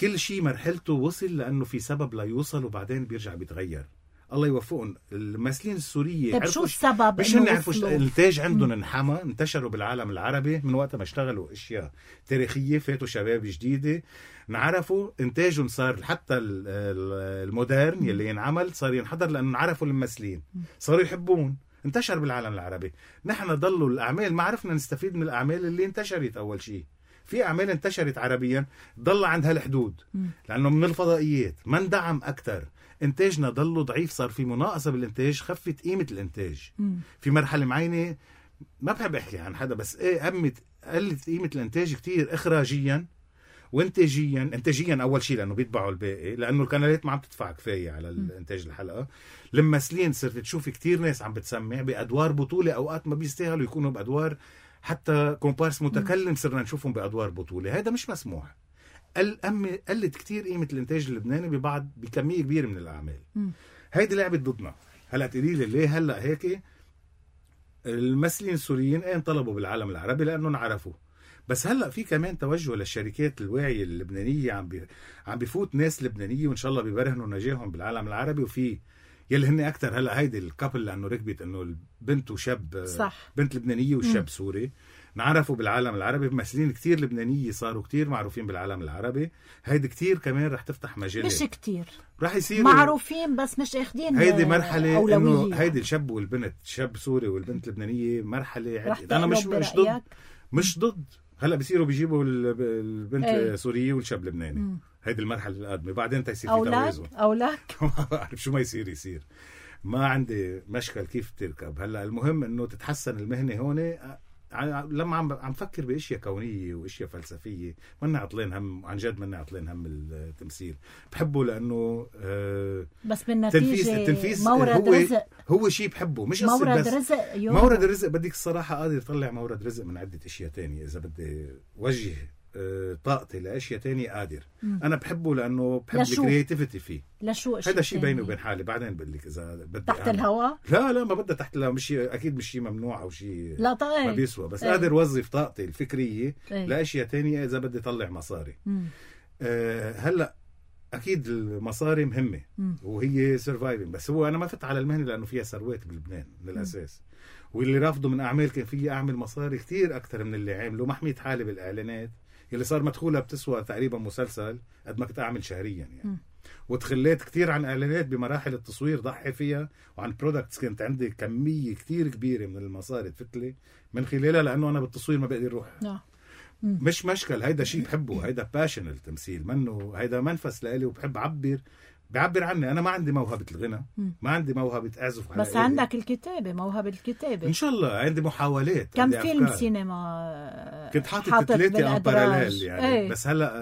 كل شيء مرحلته وصل لانه في سبب ليوصل وبعدين بيرجع بيتغير. الله يوفقهم الممثلين السوريين. طيب شو السبب؟ مش هن عرفوا الانتاج عندهم انحمى، انتشروا بالعالم العربي من وقت ما اشتغلوا اشياء تاريخيه، فاتوا شباب جديده، نعرفوا انتاجهم صار حتى المودرن يلي ينعمل صار ينحضر لانه عرفوا الممثلين، صاروا يحبون، انتشر بالعالم العربي. نحن ضلوا الاعمال ما عرفنا نستفيد من الاعمال اللي انتشرت. اول شيء في اعمال انتشرت عربيا ضل عند هالحدود لانه من الفضائيات ما اندعم اكثر، انتاجنا ضلوا ضعيف، صار في مناقصه بالانتاج، خفت قيمه الانتاج. مم. في مرحله معينه ما بحب احكي عن حدا بس ايه قمت قلت قيمه الانتاج كتير، اخراجيا وانتاجيا. انتاجيا اول شيء لانه بيتبعوا الباقي، لانه القنوات ما عم تدفع كفايه على الانتاج الحلقه. الممثلين صرت تشوف كتير ناس عم بتسمع بادوار بطوله، اوقات ما بيستاهلوا يكونوا بادوار حتى كومبارس متكلم، صرنا نشوفهم بادوار بطوله. هذا مش مسموح. الأم قلت كتير قيمة الانتاج اللبناني ببعض بكمية كبيرة من الأعمال. م. هيدي لعبت ضدنا. هلأ تقولي لي ليه هلأ هيك؟ الممثلين السوريين ايه انطلبوا بالعالم العربي لأنهم عرفوا، بس هلأ في كمان توجه للشركات الواعية اللبنانية، عم بي... عم بيفوت ناس لبنانية وإن شاء الله بيبرهنوا نجاحهم بالعالم العربي. وفي يلي هن أكتر هلأ هيدي الكابل لأنه ركبت إنه البنت وشاب، صح. بنت لبنانية والشاب م. سوري، نعرفوا بالعالم العربي. ممثلين كتير لبنانية صاروا كتير معروفين بالعالم العربي. هيدي كتير كمان رح تفتح مجال، مش كتير رح يصير معروفين بس مش اخدين هيدي مرحلة انه هيدي الشاب والبنت، الشاب سوري والبنت لبنانية مرحلة. انا مش مش ضد مش ضد هلا بصيروا بيجيبوا البنت ايه. سورية والشاب لبناني. م. هيدي المرحلة القادمة بعدين تيصير في توازن. أولاد ما بعرف شو ما يصير يصير، ما عندي مشكل كيف تركب. هلا المهم انه تتحسن المهنة هون. لما عم عم فكر باشياء كونيه واشياء فلسفيه منا عطلين هم، عن جد منا عطلين هم التمثيل. بحبه لانه آه بس بالنتيجه التنفيذ مورد هو رزق، هو شيء بحبه، مش مورد بس رزق. مورد الرزق بدك الصراحه قادر يطلع مورد رزق من عده اشياء تانية. اذا بدي وجه آه طاقتي لاشياء تانية قادر. م. انا بحبه لانه بحب الكرياتيفيتي فيه. لشو هذا شيء بيني وبين حالي. بعدين بقول لك اذا بدي تحت أعمل. الهواء لا لا ما بدها تحت الهواء، مش اكيد مش شيء ممنوع او شيء لا طيب. ما بيسوى، بس ايه. قادر وظف طاقتي الفكريه ايه. لاشياء تانية اذا بدي طلع مصاري. آه هلا اكيد المصاري مهمه م. وهي سرفايفنج، بس هو انا ما فت على المهنه لانه فيها ثروات بلبنان من الاساس. م. واللي رافضوا من اعمال كان فيه اعمل مصاري كتير اكثر من اللي عملوا. ما حميت حالي بالاعلانات اللي صار مدخولها بتسوى تقريبا مسلسل قد ما كنت اعمل شهريا يعني. م. وتخليت كتير عن اعلانات بمراحل التصوير ضحي فيها، وعن برودكتس كانت عندي كميه كتير كبيره من المصاري تفتلي من خلالها، لانه انا بالتصوير ما بقدر اروح. لا. مش مشكل، هيدا شيء بحبه، هيدا باشن التمثيل منه، هيدا منفس لإلي وبحب اعبر بعبر عني. انا ما عندي موهبه الغنى، ما عندي موهبه اعزف على بس إلي. عندك الكتابه، موهبه الكتابه ان شاء الله. عندي محاولات، كم عندي فيلم أفكار. سينما كنت حاطط ثلاثه ان باراليل يعني ايه. بس هلا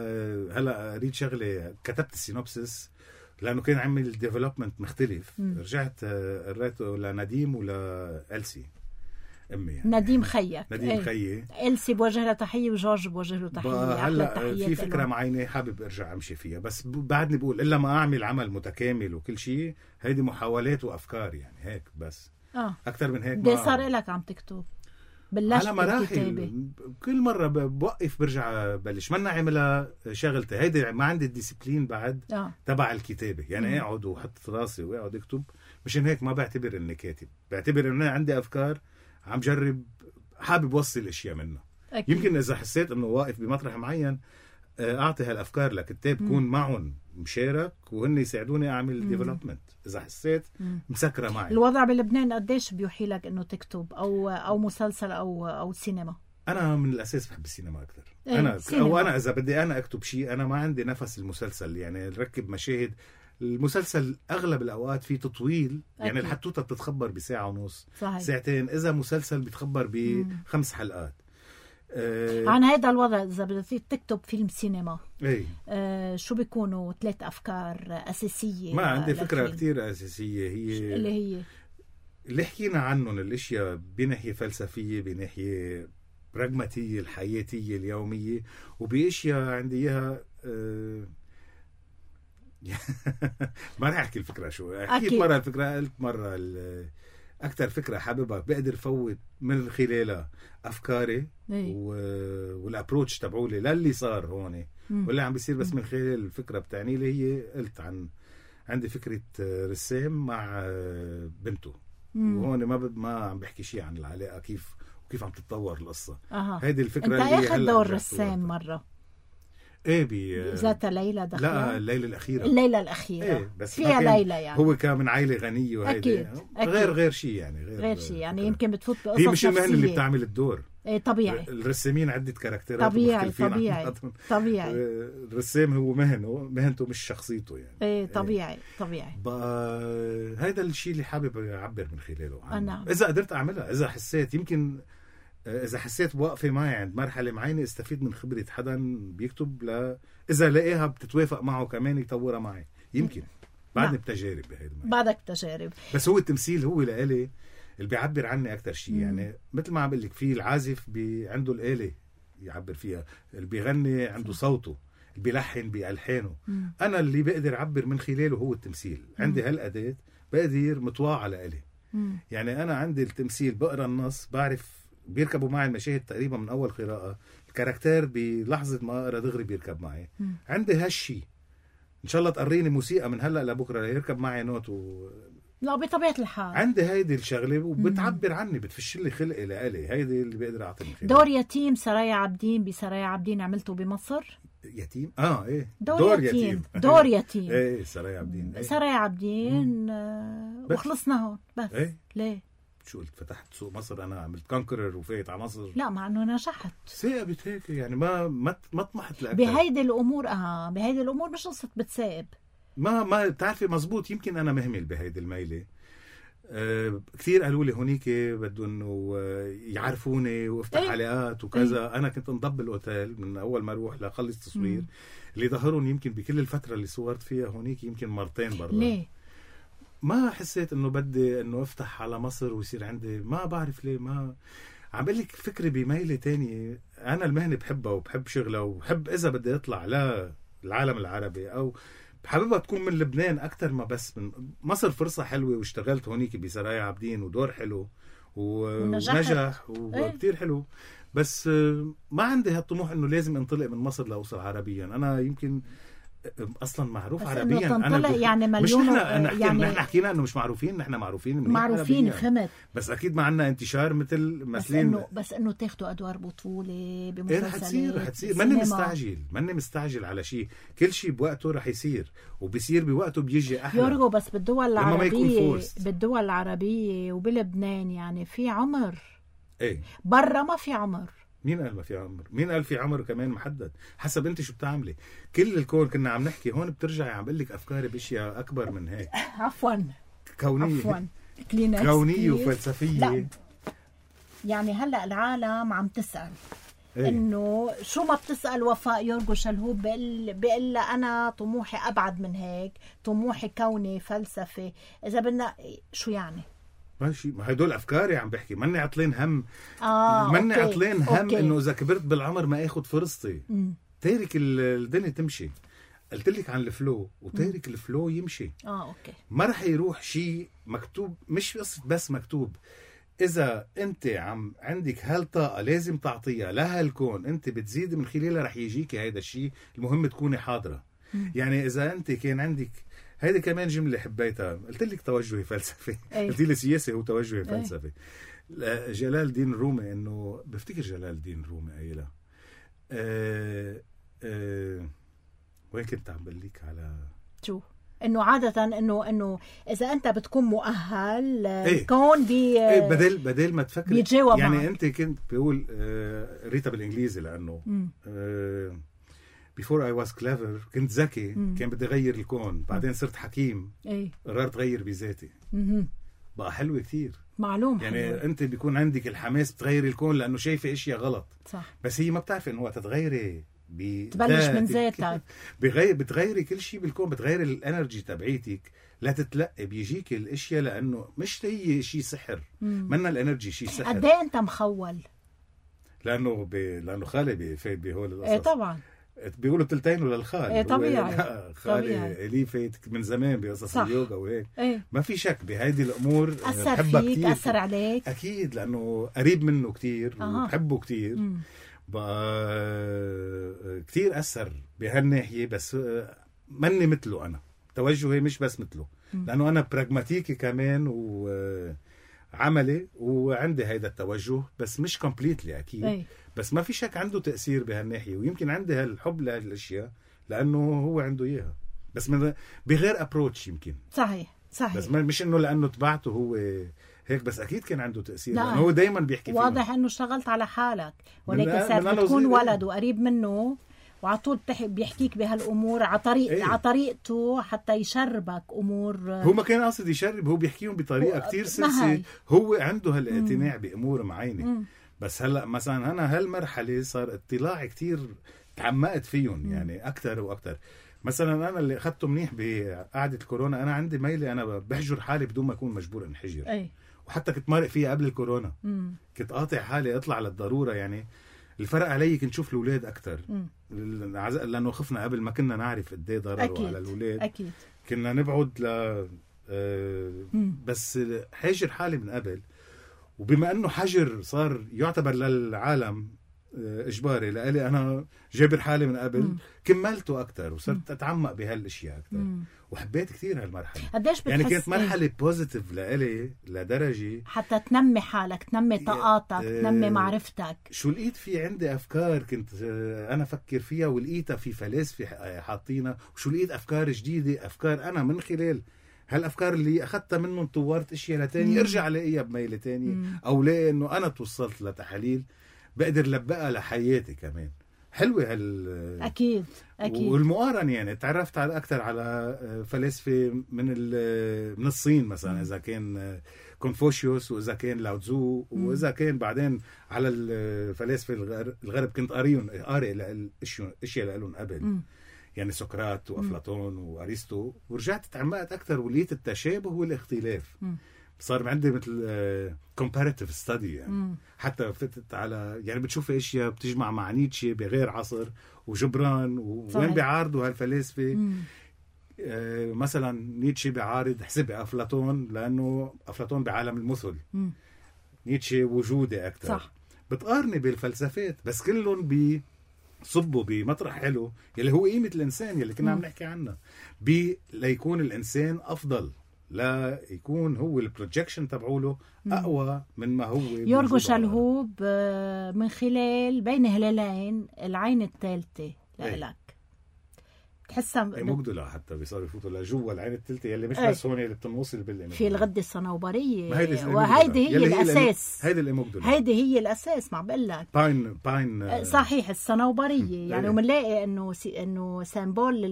هلا اريد شغله، كتبت السينوبسيس لانه كان عمل ديفلوبمنت مختلف. م. رجعت قريته لنديم ولا ألسي امي يعني. نديم خيك نديم ايه. خيي ألسي بوجه له تحيه وجورج بوجه له تحيه. هلا في فكره له. معينه حابب ارجع امشي فيها، بس بعدني بقول الا ما اعمل عمل متكامل وكل شيء. هيدي محاولات وافكار يعني هيك بس اه اكثر من هيك. ما صار لك عم تكتب بلشت بالكتابه كل مره بوقف برجع بلش. منا عملها شغلتي هيدي، ما عندي الديسيبلين بعد آه. تبع الكتابه يعني. اقعد وحط راسي واقعد اكتب، مشان هيك ما بعتبر اني كاتب، بعتبر انه عندي افكار عم جرب حابب وصل اشياء منه. أكيد. يمكن اذا حسيت انه واقف بمطرح معين اعطي هالافكار لكتاب كون معهم مشارك وهن يساعدوني اعمل ديفلوبمنت اذا حسيت مسكره معي. الوضع بلبنان قديش بيوحي لك انه تكتب او او مسلسل او او سينما؟ انا من الاساس بحب السينما اكثر. ايه انا سينما. او انا اذا بدي انا اكتب شيء انا ما عندي نفس المسلسل، يعني نركب مشاهد. المسلسل اغلب الاوقات فيه تطويل، يعني أكيد. الحتوته بتتخبر بساعه ونص صحيح. ساعتين، اذا مسلسل بيتخبر بخمس حلقات. أه عن هذا الوضع اذا بدك تكتب فيلم سينما ايه أه شو بيكونوا ثلاث افكار اساسيه؟ ما عندي فكره للفيلم. كتير اساسيه هي اللي هي اللي حكينا عنهم الاشياء بناحيه فلسفيه بناحيه براغماتيه الحياتيه اليوميه، وباشياء عندي اياها أه ما رح احكي الفكره شو حكيت مره الفكره، قلت مره اكثر فكره حاببها بقدر فوت من خلالها افكاري و... والابروتش تبعولي للي صار هون واللي عم بيصير بس من خلال الفكره بتاعني اللي هي قلت عن عندي فكره رسام مع بنته، وهون ما ب... ما عم بحكي شيء عن العلاقه كيف وكيف عم تتطور القصه. أه. هيدي الفكره انت اللي اخذ دور رسام مره ايه بي ذات ليلى دخلها؟ لا الليلة الأخيرة. الليلة الأخيرة إيه بس فيها ليلى يعني هو كان من عائلة غنية وهيدي أكيد. أكيد. غير غير شيء يعني غير, غير شيء يعني فكرة. يمكن بتفوت بقصص هي مش المهنة نفسية. اللي بتعمل الدور. إيه طبيعي. الرسامين عدة كاركترات طبيعي طبيعي طبيعي. الرسام هو مهنه مهنته مش شخصيته يعني. إيه طبيعي إيه. طبيعي. بقى هذا الشيء اللي حابب أعبر من خلاله عنه. نعم. إذا قدرت أعملها، إذا حسيت يمكن إذا حسيت بوقفة معي عند مرحلة معينة استفيد من خبرة حدا بيكتب ل... إذا لقيها بتتوافق معه كمان يطورها معي يمكن بعدني نعم. بتجارب بهيدا بعدك تجارب. بس هو التمثيل هو لإلي اللي بيعبر عني أكتر شيء. يعني مثل ما عم بقول لك في العازف بي... عنده الآلة يعبر فيها، اللي بيغني عنده صوته، اللي بيلحن بألحانه. مم. أنا اللي بقدر أعبر من خلاله هو التمثيل. مم. عندي هالأداة بقدر مطواع على إلي. مم. يعني أنا عندي التمثيل بقرأ النص بعرف بيركبوا معي المشاهد تقريبا من أول قراءة، الكاركتير بلحظة ما أقرأ دغري بيركب معي. م. عندي هالشي إن شاء الله تقريني موسيقى من هلأ لبكرة يركب معي نوت و... لا بطبيعة الحال عندي هيدي الشغلة وبتعبر عني، بتفش لي خلقي لإلي. هيدي اللي بقدر أعطي من دور يتيم سرايا عابدين بسرايا عابدين عملته بمصر. يتيم اه ايه دور, دور يتيم. يتيم دور يتيم ايه سرايا عابدين ايه. سرايا عابدين آه وخلصنا هون بس ايه. ليه شو قلت فتحت سوق مصر انا عملت كونكرر وفايت على مصر؟ لا مع انه نجحت ثاقبت هيك يعني ما ما ما طمحت لاكثر بهيدي الامور. اه بهيدي الامور مش قصه بتثاقب ما ما بتعرفي مزبوط. يمكن انا مهمل بهيدي الميله. أه كثير قالوا لي هونيك بدهم انه يعرفوني وافتح ايه؟ علاقات وكذا. ايه؟ انا كنت انضب بالاوتيل من اول ما اروح لاخلص تصوير. مم. اللي ظهرون يمكن بكل الفتره اللي صورت فيها هونيك يمكن مرتين برضه. ليه؟ ما حسيت انه بدي انه افتح على مصر ويصير عندي، ما بعرف ليه. ما عم بقول لك فكري بميله تانية. انا المهنه بحبها وبحب شغلها وبحب اذا بدي اطلع للعالم العربي او حاببها تكون من لبنان اكثر ما بس من مصر. فرصه حلوه واشتغلت هونيك بسرايا عابدين ودور حلو ونجح وكتير حلو، بس ما عندي هالطموح انه لازم انطلق من مصر لاوصل عربيا. انا يمكن اصلا معروف عربيا. انا يعني مليون مش نحن نحكي يعني نحن حكينا انه مش معروفين. نحن معروفين معروفين فهمت، بس اكيد ما عندنا انتشار مثل مثلين. بس انه بس انه تاخذوا ادوار بطوله بمسلسلات. رح تصير رح تصير ماني مستعجل ماني مستعجل على شيء. كل شيء بوقته رح يصير وبيصير بوقته بيجي احلى. يورجو بس بالدول العربيه بالدول العربيه وبلبنان يعني في عمر. ايه برا ما في عمر. مين قال ما في عمر؟ مين قال في عمر كمان محدد؟ حسب انت شو بتعملي. كل الكون كنا عم نحكي هون بترجعي عم بقول لك افكاري باشياء اكبر من هيك. عفوا كونيه عفوا كونيه وفلسفيه. لا. يعني هلا العالم عم تسال ايه؟ انه شو ما بتسال وفاء يورجو شلهوب بقول بقول انا طموحي ابعد من هيك، طموحي كوني فلسفه. اذا بدنا شو يعني ماشي، ما هدول افكاري عم بحكي. ماني عطلين هم اه ماني عطلين هم انه اذا كبرت بالعمر ما اخذ فرصتي. م. تارك الدنيا تمشي. قلت لك عن الفلو وتارك م. الفلو يمشي. اه اوكي ما رح يروح شيء مكتوب. مش قصه بس مكتوب. اذا انت عم عندك هالطاقه لازم تعطيها لهالكون، انت بتزيد من خلالها رح يجيكي هيدا الشيء. المهم تكوني حاضره. م. يعني اذا انت كان عندك هيدي كمان جملة حبيتها. قلت لك توجهي فلسفي. أيه. قلت لي سياسي هو توجهي فلسفي. أيه. جلال الدين الرومي انه بفتكر جلال الدين الرومي قايلها. أه أه وين كنت عم بقليك على شو انه عاده انه انه اذا انت بتكون مؤهل ايه؟ الكون بي ايه بدل بدل ما تفكر بيتجاوب يعني معك. انت كنت بقول آه ريتا بالانجليزي لانه آه before I was clever كنت ذكي كان بدي اغير الكون، بعدين صرت حكيم ايه قررت غير بذاتي. بقى حلوة كتير معلوم يعني حلوة. انت بيكون عندك الحماس تغيري الكون لانه شايفه اشياء غلط صح، بس هي ما بتعرف انه وقت تغيري تبلش من ذاتك بغير بتغيري كل شيء بالكون، بتغيري الانرجي تبعيتك لا تتلقي بيجيك الاشياء لانه مش هي شيء سحر، منا الانرجي شيء سحر. قد ايه انت مخول؟ لانه ب... لانه خالي بفايت بهول القصص. ايه طبعا بيقولوا تلتين للخال. ايه طبيعي خالي لي فايت من زمان بقصص اليوجا وهيك. ايه. ما في شك بهيدي الامور اثر فيك كتير. اثر عليك اكيد لانه قريب منه كتير أه. وبحبه كتير. م. بقى كتير أثر بهالناحية بس مني مثله أنا توجهي مش بس مثله لأنه أنا براغماتيكي كمان وعملي وعندي هيدا التوجه بس مش كومبليتلي أكيد أي. بس ما في شك عنده تأثير بهالناحية ويمكن عندي هالحب لهالأشياء لأنه هو عنده إياها بس من بغير أبروتش يمكن. صحيح صحيح بس مش إنه لأنه تبعته هو هيك بس أكيد كان عنده تأثير لأنه هو دايما بيحكي فيه. واضح إنه اشتغلت على حالك ولكن صار بتكون ولد وقريب منه وعلى طول بيحكيك بهالأمور على طريق ايه؟ على طريقته حتى يشربك أمور. هو ما كان قاصد يشرب، هو بيحكيهم بطريقة كتير سلسة، هو عنده هالاعتناع بأمور معينة. بس هلأ مثلا أنا هالمرحلة صار اطلاع كتير تعمقت فيهم مم. يعني أكتر وأكتر. مثلا أنا اللي أخذته منيح بقعدة الكورونا أنا عندي ميلة أنا بحجر حالي بدون ما أكون مجبور انحجر أي. وحتى كنت مارق فيها قبل الكورونا. مم. كنت قاطع حالي اطلع للضرورة يعني. الفرق علي كنت شوف الأولاد أكتر لأنه خفنا قبل ما كنا نعرف قد ايه ضرره على الأولاد. أكيد. كنا نبعد ل آه بس حاجر حالي من قبل وبما أنه حجر صار يعتبر للعالم إجباري لألي أنا جابر حالي من قبل مم. كملته أكتر وصرت أتعمق بهالأشياء أكتر مم. وحبيت كثير هالمرحلة. قديش بتحس يعني كانت مرحلة بوزيتيف لألي لدرجة حتى تنمي حالك تنمي طاقاتك اه تنمي معرفتك. شو لقيت في عندي أفكار كنت أنا أفكر فيها ولقيتها في فلاسفة حاطينها وشو لقيت أفكار جديدة أفكار أنا من خلال هالأفكار اللي أخذتها منهم طورت أشياء لتاني ارجع لاقيها بميلة تانية مم. أو لاقي أنه أنا توصلت لتحاليل بقدر لبقها لحياتي كمان. حلوة هال أكيد أكيد. والمقارنة يعني تعرفت على أكتر على فلاسفة من من الصين مثلا إذا كان كونفوشيوس وإذا كان لاوتزو وإذا كان بعدين على الفلاسفة الغرب كنت قاريهم قارئ الأشياء اللي لهم قبل م. يعني سقراط وأفلاطون وأرسطو ورجعت تعمقت أكتر ولقيت التشابه والاختلاف. م. صار عندي مثل comparative study يعني مم. حتى فتت على يعني بتشوف اشياء بتجمع مع نيتشه بغير عصر وجبران ووين بيعارضوا هالفلاسفه. آه مثلا نيتشه بيعارض حسب افلاطون لانه افلاطون بعالم المثل مم. نيتشه وجودي اكثر. صح. بتقارني بالفلسفات بس كلهم بي صبوا بمطرح حلو يلي هو قيمه الانسان يلي كنا عم نحكي عنها بي ليكون الانسان افضل لا يكون هو البروجكشن تبعوله أقوى من ما هو. يورغو شلهوب من خلال بين هلالين العين الثالثة لإلك تحسها اي مقدلة حتى بيصيروا يفوتوا لجوا العين الثالثة يلي مش بس هون اللي بتنوصل بالإنه في الغدة الصنوبرية وهيدي هي الأساس. هيدي اللي مقدلة هيدي هي الأساس ما بقول لك باين باين صحيح الصنوبرية يعني ومنلاقي إنه إنه سيمبول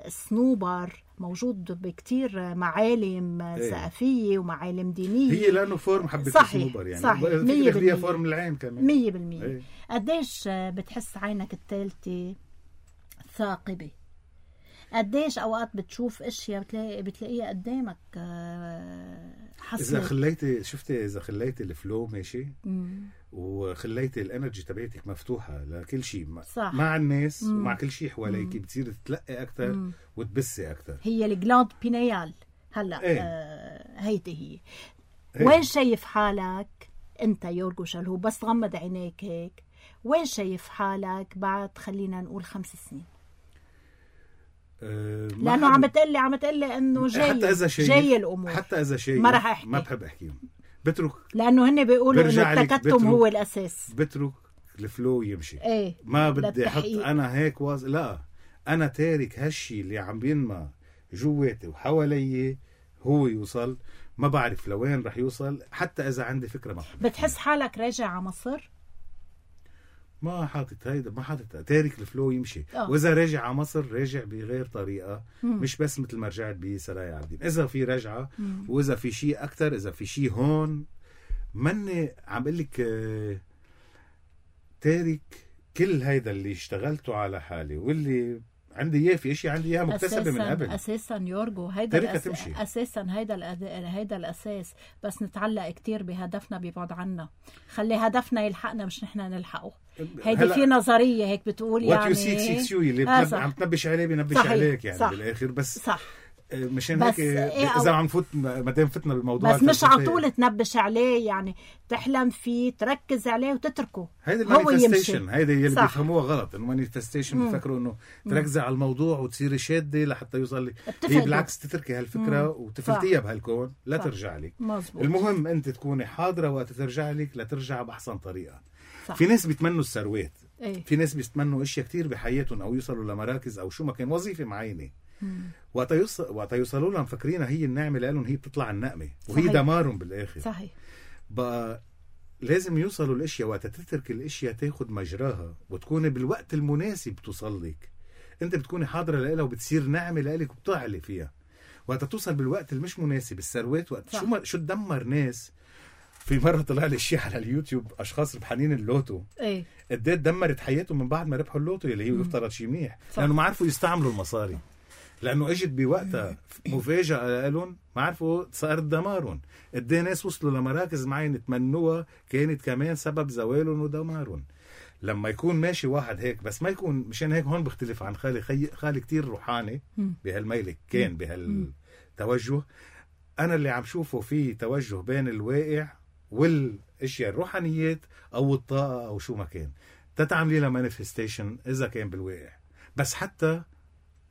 الصنوبر موجود بكتير معالم ايه. ثقافية ومعالم دينية هي لأنه فورم حبة الصنوبر يعني صحيح مية بالمية فورم العين كمان مية بالمية ايه. قديش بتحس عينك الثالثة ثاقبة؟ قديش أوقات بتشوف أشياء بتلاقي بتلاقيها قدامك حصلت؟ إذا خليتي شفتي إذا خليتي الفلو ماشي مم. وخليتي الانرجي تبعتك مفتوحة لكل شيء مع الناس مم. ومع كل شيء حواليك بتصير تتلقي أكتر مم. وتبسي أكتر. هي الجلاند بينيال هلأ ايه. آه هيدي هي ايه. وين شايف حالك أنت يورغو شلهوب بس غمض عينيك هيك وين شايف حالك بعد خلينا نقول خمس سنين؟ أه لأنه عم بتقلي عم بتقلي إنه جاي حتى إذا شيء جاي الأمور حتى إذا شيء ما رح أحكي ما بحب أحكيهم بترك لأنه هن بيقولوا إنه التكتم هو الأساس. بترك الفلو يمشي. ايه ما بدي احط انا هيك واز لا، انا تارك هالشي اللي عم بينما جواتي وحوالي هو يوصل. ما بعرف لوين رح يوصل حتى اذا عندي فكره. ما بتحس حالك راجع على مصر؟ ما حاطط هيدا، ما حاطط تارك الفلو يمشي. أوه. واذا راجع على مصر راجع بغير طريقه. مم. مش بس مثل ما رجعت بسرايا عابدين. اذا في رجعه مم. واذا في شيء اكثر، اذا في شيء هون مني عم بقول لك تارك كل هيدا اللي اشتغلته على حالي واللي عندي اياه، في اشياء عندي اياها مكتسبه من قبل. اساسا يورجو هيدا الأس... اساسا هيدا الأد... هيدا الاساس. بس نتعلق كتير بهدفنا بيبعد عنا. خلي هدفنا يلحقنا مش نحن نلحقه. هيدي هلأ... في نظريه هيك بتقول يعني وات يو سيك سيكس يو اللي آه عم تنبش عليه بنبش عليك يعني صح. بالاخر بس صح. مشان هيك إيه اذا عم نفوت ما دام فتنا بالموضوع بس مش على طول تنبش عليه، يعني تحلم فيه تركز عليه وتتركه. هيدي المانيفستيشن، هيدي اللي بيفهموها غلط. المانيفستيشن بفكروا انه تركزي على الموضوع وتصيري شاده لحتى يوصل لك. هي بالعكس تتركي هالفكره وتفلتيها بهالكون لا صح. ترجع لك. مزبوط. المهم انت تكوني حاضره وقت ترجع لك لترجع باحسن طريقه. صح. في ناس بيتمنوا الثروات. ايه؟ في ناس بيتمنوا اشياء كتير بحياتهم او يوصلوا لمراكز او شو ما كان وظيفه معينه. وقت يوصل وقت يوصلوا لها مفكرينها هي النعمه لهم، هي بتطلع النقمه وهي صحيح. دمارهم بالاخر. صحيح. بقى لازم يوصلوا الاشياء وقت تترك الاشياء تاخد مجراها وتكون بالوقت المناسب توصل لك. انت بتكوني حاضره لها وبتصير نعمه لك وبتعلي فيها. وقت توصل بالوقت المش مناسب الثروات وقت صح. شو ما شو تدمر ناس. في مره طلع لي شيء على اليوتيوب اشخاص ربحانين اللوتو ايه قد ايه دمرت حياتهم من بعد ما ربحوا اللوتو اللي هي يفترض شيء منيح لانه ما عرفوا يستعملوا المصاري، لانه اجت بوقتها مفاجاه لهم ما عرفوا صار دمارهم. قد ايه ناس وصلوا لمراكز معينه تمنوها كانت كمان سبب زوالهم ودمارهم. لما يكون ماشي واحد هيك بس ما يكون مشان هيك هون بختلف عن خالي. خي... خالي كتير روحاني بهالميلك كان بهالتوجه. انا اللي عم شوفه فيه توجه بين الواقع والاشياء الروحانيات او الطاقه او شو ما كان تتعملي لها مانيفستيشن اذا كان بالواقع. بس حتى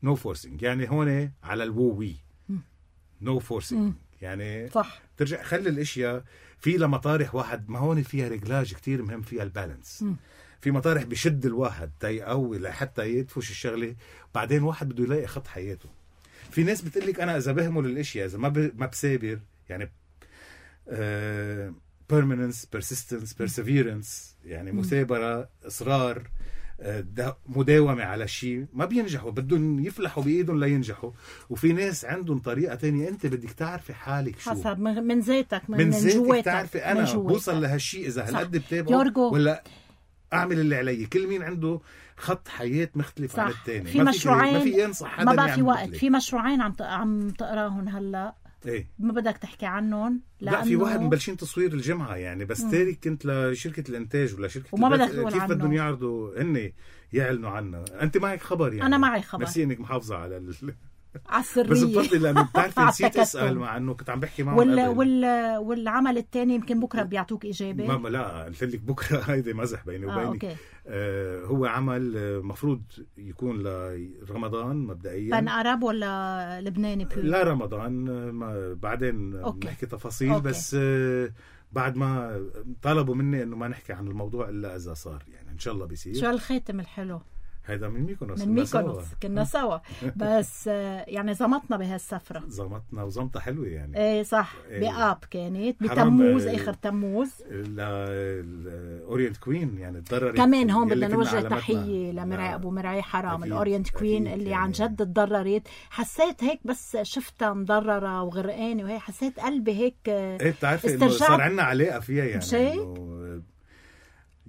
نو no فورسينج، يعني هون على الووي نو no فورسينج يعني صح. ترجع خلي الاشياء في لما طارح واحد ما هون فيها رجلاج كتير مهم فيها البالانس. م. في مطارح بشد الواحد تيقوي لحتى يدفش الشغله، بعدين واحد بده يلاقي خط حياته. في ناس بتقلك انا اذا بهمل الاشياء اذا ما ب... ما بسابر يعني uh, permanence persistence perseverance يعني مثابرة إصرار مداومة على شيء ما بينجحوا، بدهم يفلحوا بإيدهم لينجحوا. وفي ناس عندهم طريقة تانية. أنت بدك تعرفي حالك شو حسب من ذاتك من, من, من جواتك تعرفي أنا بوصل لهالشيء إذا هالقد بتابعه ولا أعمل اللي علي. كل مين عنده خط حياة مختلف صح. عن التاني. في ما مشروعين ما في ينصح حدا ما بقى في وقت. في مشروعين عم عم تقراهم هلا ايه ما بدك تحكي عنهم لا في واحد مبلشين تصوير الجمعة يعني بس تارك كنت لشركة الانتاج ولا شركة وما بدك تقول كيف عنه. بدهم يعرضوا هن يعلنوا عنه. انت معك خبر يعني انا معي خبر بس انك محافظة على ال... على السرية بس بفضل لانه بتعرفي نسيت اسال مع انه كنت عم بحكي معهم وال... وال... والعمل الثاني يمكن بكره بيعطوك اجابه. ما لا قلت لك بكره هيدي مزح بيني وبينك. آه، آه هو عمل مفروض يكون لرمضان مبدئيا. بن عرب ولا لبناني بيو؟ لا رمضان ما بعدين نحكي تفاصيل. أوكي. بس آه بعد ما طلبوا مني انه ما نحكي عن الموضوع الا اذا صار يعني ان شاء الله بيصير. شو الخاتم الحلو هيدا من ميكونوس من ميكونوس كنا سوا بس يعني زمطنا بهالسفرة زمطنا وزمطة حلوة يعني ايه صح إيه بآب كانت بتموز اخر تموز الاورينت كوين يعني تضررت كمان. هون بدنا نوجه تحية لمرعي ابو مرعي حرام الاورينت كوين اللي يعني عن جد تضررت. حسيت هيك بس شفتها مضررة وغرقانة وهي حسيت قلبي هيك ايه بتعرفي انه صار عندنا علاقة فيها يعني مشيك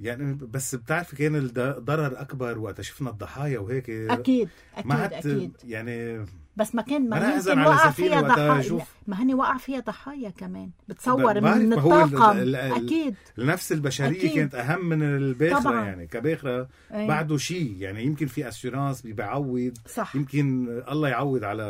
يعني بس بتعرفي كان الضرر اكبر وقت شفنا الضحايا وهيك. اكيد اكيد اكيد يعني بس ما كان ما يمكن وقع فيها ضحايا. ما هني وقع فيها ضحايا كمان بتصور من الطاقم. اكيد النفس البشريه أكيد. كانت اهم من الباخره طبعاً. يعني كباخره أيه. بعده شيء يعني يمكن في اسيورانس بيعوض صح. يمكن الله يعوض على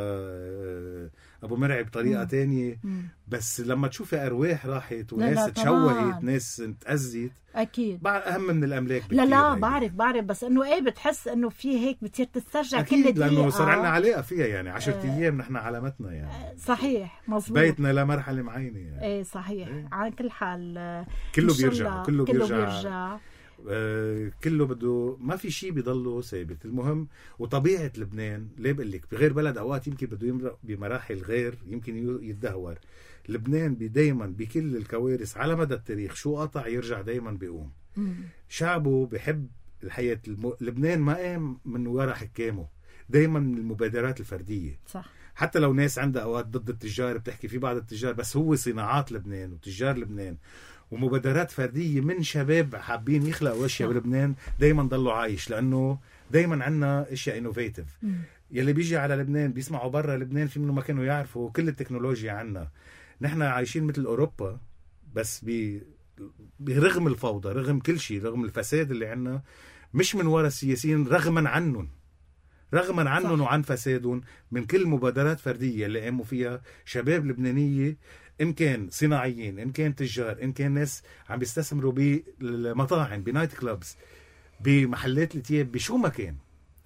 ابو مرعي بطريقه مم. تانية مم. بس لما تشوفي ارواح راحت وناس تشوهت ناس تأذيت اكيد اهم من الاملاك لا لا هيك. بعرف بعرف بس انه ايه بتحس انه في هيك بتصير تسترجع كل دقيقه لانه صار عندنا علاقه فيها يعني عشرة آه ايام نحن علامتنا يعني صحيح مظبوط بيتنا لمرحله معينه يعني ايه صحيح ايه. على كل حال كله بيرجع كله, كله بيرجع, بيرجع. آه كله بده، ما في شيء بيضله ثابت. المهم وطبيعة لبنان ليه بقول لك بغير بلد أوقات يمكن بده يمرق بمراحل غير، يمكن يتدهور. لبنان دايما بكل الكوارث على مدى التاريخ شو قطع يرجع دايما بيقوم. مم. شعبه بحب الحياة. الم... لبنان ما قام من وراء حكامه، دايما من المبادرات الفردية. صح. حتى لو ناس عندها أوقات ضد التجار بتحكي في بعض التجار، بس هو صناعات لبنان وتجار لبنان ومبادرات فردية من شباب حابين يخلقوا اشياء بلبنان دايما ضلوا عايش، لانه دايما عنا اشياء انوفيتيف. يلي بيجي على لبنان بيسمعوا برا لبنان في منه ما كانوا يعرفوا كل التكنولوجيا عنا. نحن عايشين مثل اوروبا، بس ب برغم الفوضى، رغم كل شيء، رغم الفساد اللي عنا، مش من وراء السياسيين، رغما عنهم رغما عنهم وعن فسادهم، من كل مبادرات فردية اللي قاموا فيها شباب لبنانية، إن كان صناعيين، إن كان تجار، إن كان ناس عم بيستثمروا بالمطاعم، بنايت كلابس، بمحلات التياب، بشو ما كان.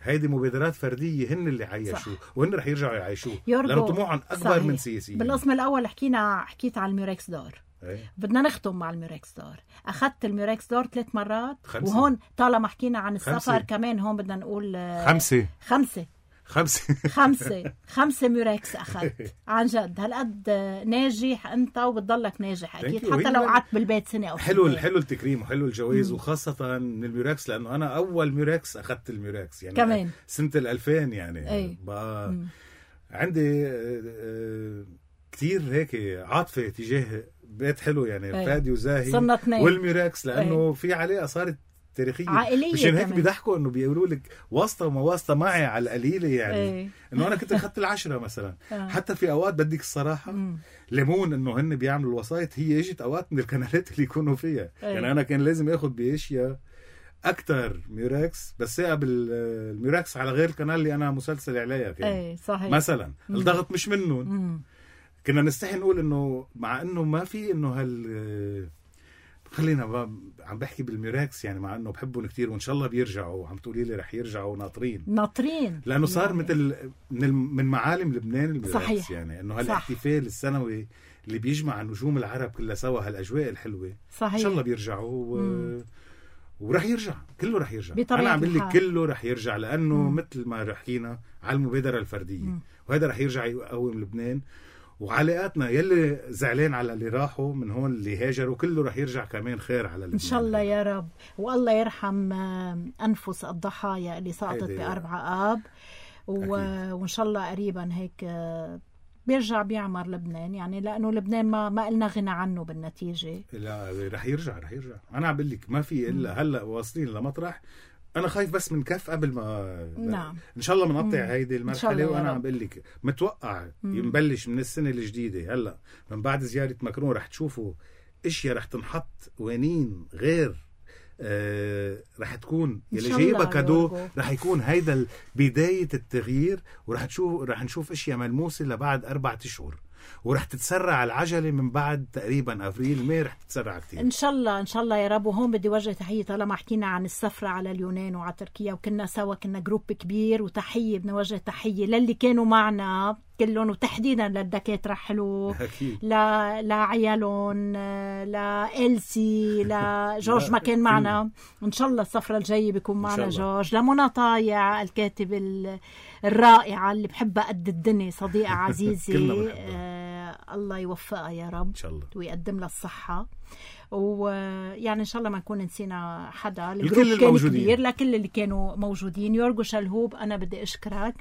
هيدي مبادرات فردية هن اللي عايشوا، وهن رح يرجعوا يعيشوه، لأنه طموحهم أكبر صحيح. من سياسيين. بالقسم الأول حكينا حكيت على الميركس دور. أيه. بدنا نختم مع الميركس دور. أخذت الميركس دور ثلاث مرات. خمسة. وهون طالما حكينا عن السفر خمسة. كمان هون بدنا نقول خمسة خمسة خمسة خمسة خمسة ميركس أخذت. عن جد هالقد ناجح أنت وبتضلك ناجح أكيد، حتى لو قعدت بالبيت سنة أو حلو سنة. حلو التكريم وحلو الجوائز، وخاصة من الميركس، لأنه أنا أول ميركس أخذت الميركس يعني كمان سنة الألفين يعني. بقى عندي كتير هيك عاطفة تجاه بيت حلو يعني. أي. فادي وزاهي والميركس، لأنه أي. في علاقة صارت تاريخية عائلية. مشان هيك بيضحكوا انه بيقولوا لك واسطة وما واسطة معي على القليلة يعني. ايه. انه انا كنت اخذت العشرة مثلا. حتى في اوقات بدك الصراحة مم. ليمون انه هن بيعملوا الوسائط، هي اجت اوقات من القنالات اللي يكونوا فيها. ايه. يعني انا كان لازم اخذ باشياء اكتر ميراكس، بس قبل الميراكس على غير القناة اللي انا مسلسل عليها كان. ايه صحيح. مثلا مم. الضغط مش منهم. كنا نستحي نقول انه مع انه ما في انه هال خلينا عم بحكي بالميراكس يعني، مع انه بحبهم كتير وان شاء الله بيرجعوا، عم تقولي لي رح يرجعوا ناطرين ناطرين لانه صار يعني. مثل من من معالم لبنان الميراكس. صحيح. يعني انه هالاحتفال السنوي اللي بيجمع النجوم العرب كلها سوا، هالاجواء الحلوه. صحيح. ان شاء الله بيرجعوا و... ورح يرجع كله، رح يرجع. انا عم بقول لك كله رح يرجع، لانه مم. مثل ما حكينا على المبادره الفرديه، مم. وهذا رح يرجع يقوم لبنان. وعلاقاتنا يلي زعلان على اللي راحوا من هون اللي هاجروا كله رح يرجع كمان خير على لبنان. إن شاء الله يا رب. والله يرحم أنفس الضحايا اللي سقطت بأربعة آب و... وإن شاء الله قريبا هيك بيرجع بيعمر لبنان يعني، لأنه لبنان ما ما قلنا غنى عنه بالنتيجة. لا رح يرجع رح يرجع. أنا عم بقول لك ما في إلا هلأ واصلين لمطرح. أنا خايف بس من كف قبل ما نعم. إن شاء الله بنقطع هيدي المرحلة. وأنا عم بقول لك متوقع ينبلش من السنة الجديدة هلأ من بعد زيارة ماكرون رح تشوفوا إشياء رح تنحط وانين غير. آه رح تكون يلي جايبها كادو، رح يكون هيدا بداية التغيير، ورح تشوف رح نشوف إشياء ملموسة لبعد أربعة أشهر، ورح تتسرع العجلة من بعد تقريبا أفريل ماي، رح تتسرع كتير إن شاء الله. إن شاء الله يا رب. وهون بدي وجه تحية، طالما حكينا عن السفرة على اليونان وعلى تركيا وكنا سوا، كنا جروب كبير، وتحية بدنا وجه تحية للي كانوا معنا كلهم، وتحديدا للدكاترة حلو، لا لعيالهم، لإلسي، لجورج ما كان معنا. إن شاء الله السفرة الجاية بيكون معنا جورج، لمنى طايع الكاتب الرائعة اللي بحبها قد الدنيا، صديقة عزيزة. آه الله يوفقها يا رب إن شاء الله، ويقدم لها الصحة. ويعني إن شاء الله ما نكون نسينا حدا. الجروب كان كبير، لكل اللي كانوا موجودين. يورغو شلهوب أنا بدي أشكرك،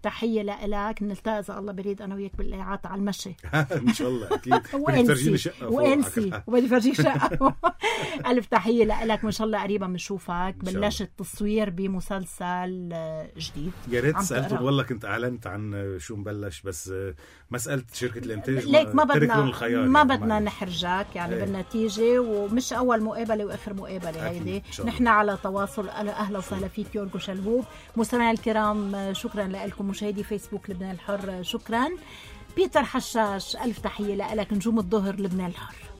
تحية لك. نلتقي إذا الله بريد أنا وياك بالإيعات على المشي إن شاء الله أكيد. وإنسي وإنسي وبدي فرجيك شقة. ألف تحية لك، وإن شاء الله قريبا بنشوفك. بلشت تصوير بمسلسل جديد. يا ريت سألته والله كنت أعلنت عن شو مبلش، بس مسألة شركة الإنتاج ليك ما بدنا ما بدنا نحرجك يعني هي. بالنتيجة، ومش أول مقابلة وآخر مقابلة هيدي. نحن على تواصل. أهلا وسهلا فيك يورغو شلهوب. مستمعي الكرام شكرا لكم. مشاهدي فيسبوك لبنان الحر شكرا. بيتر حشاش ألف تحية لك. نجوم الظهر لبنان الحر.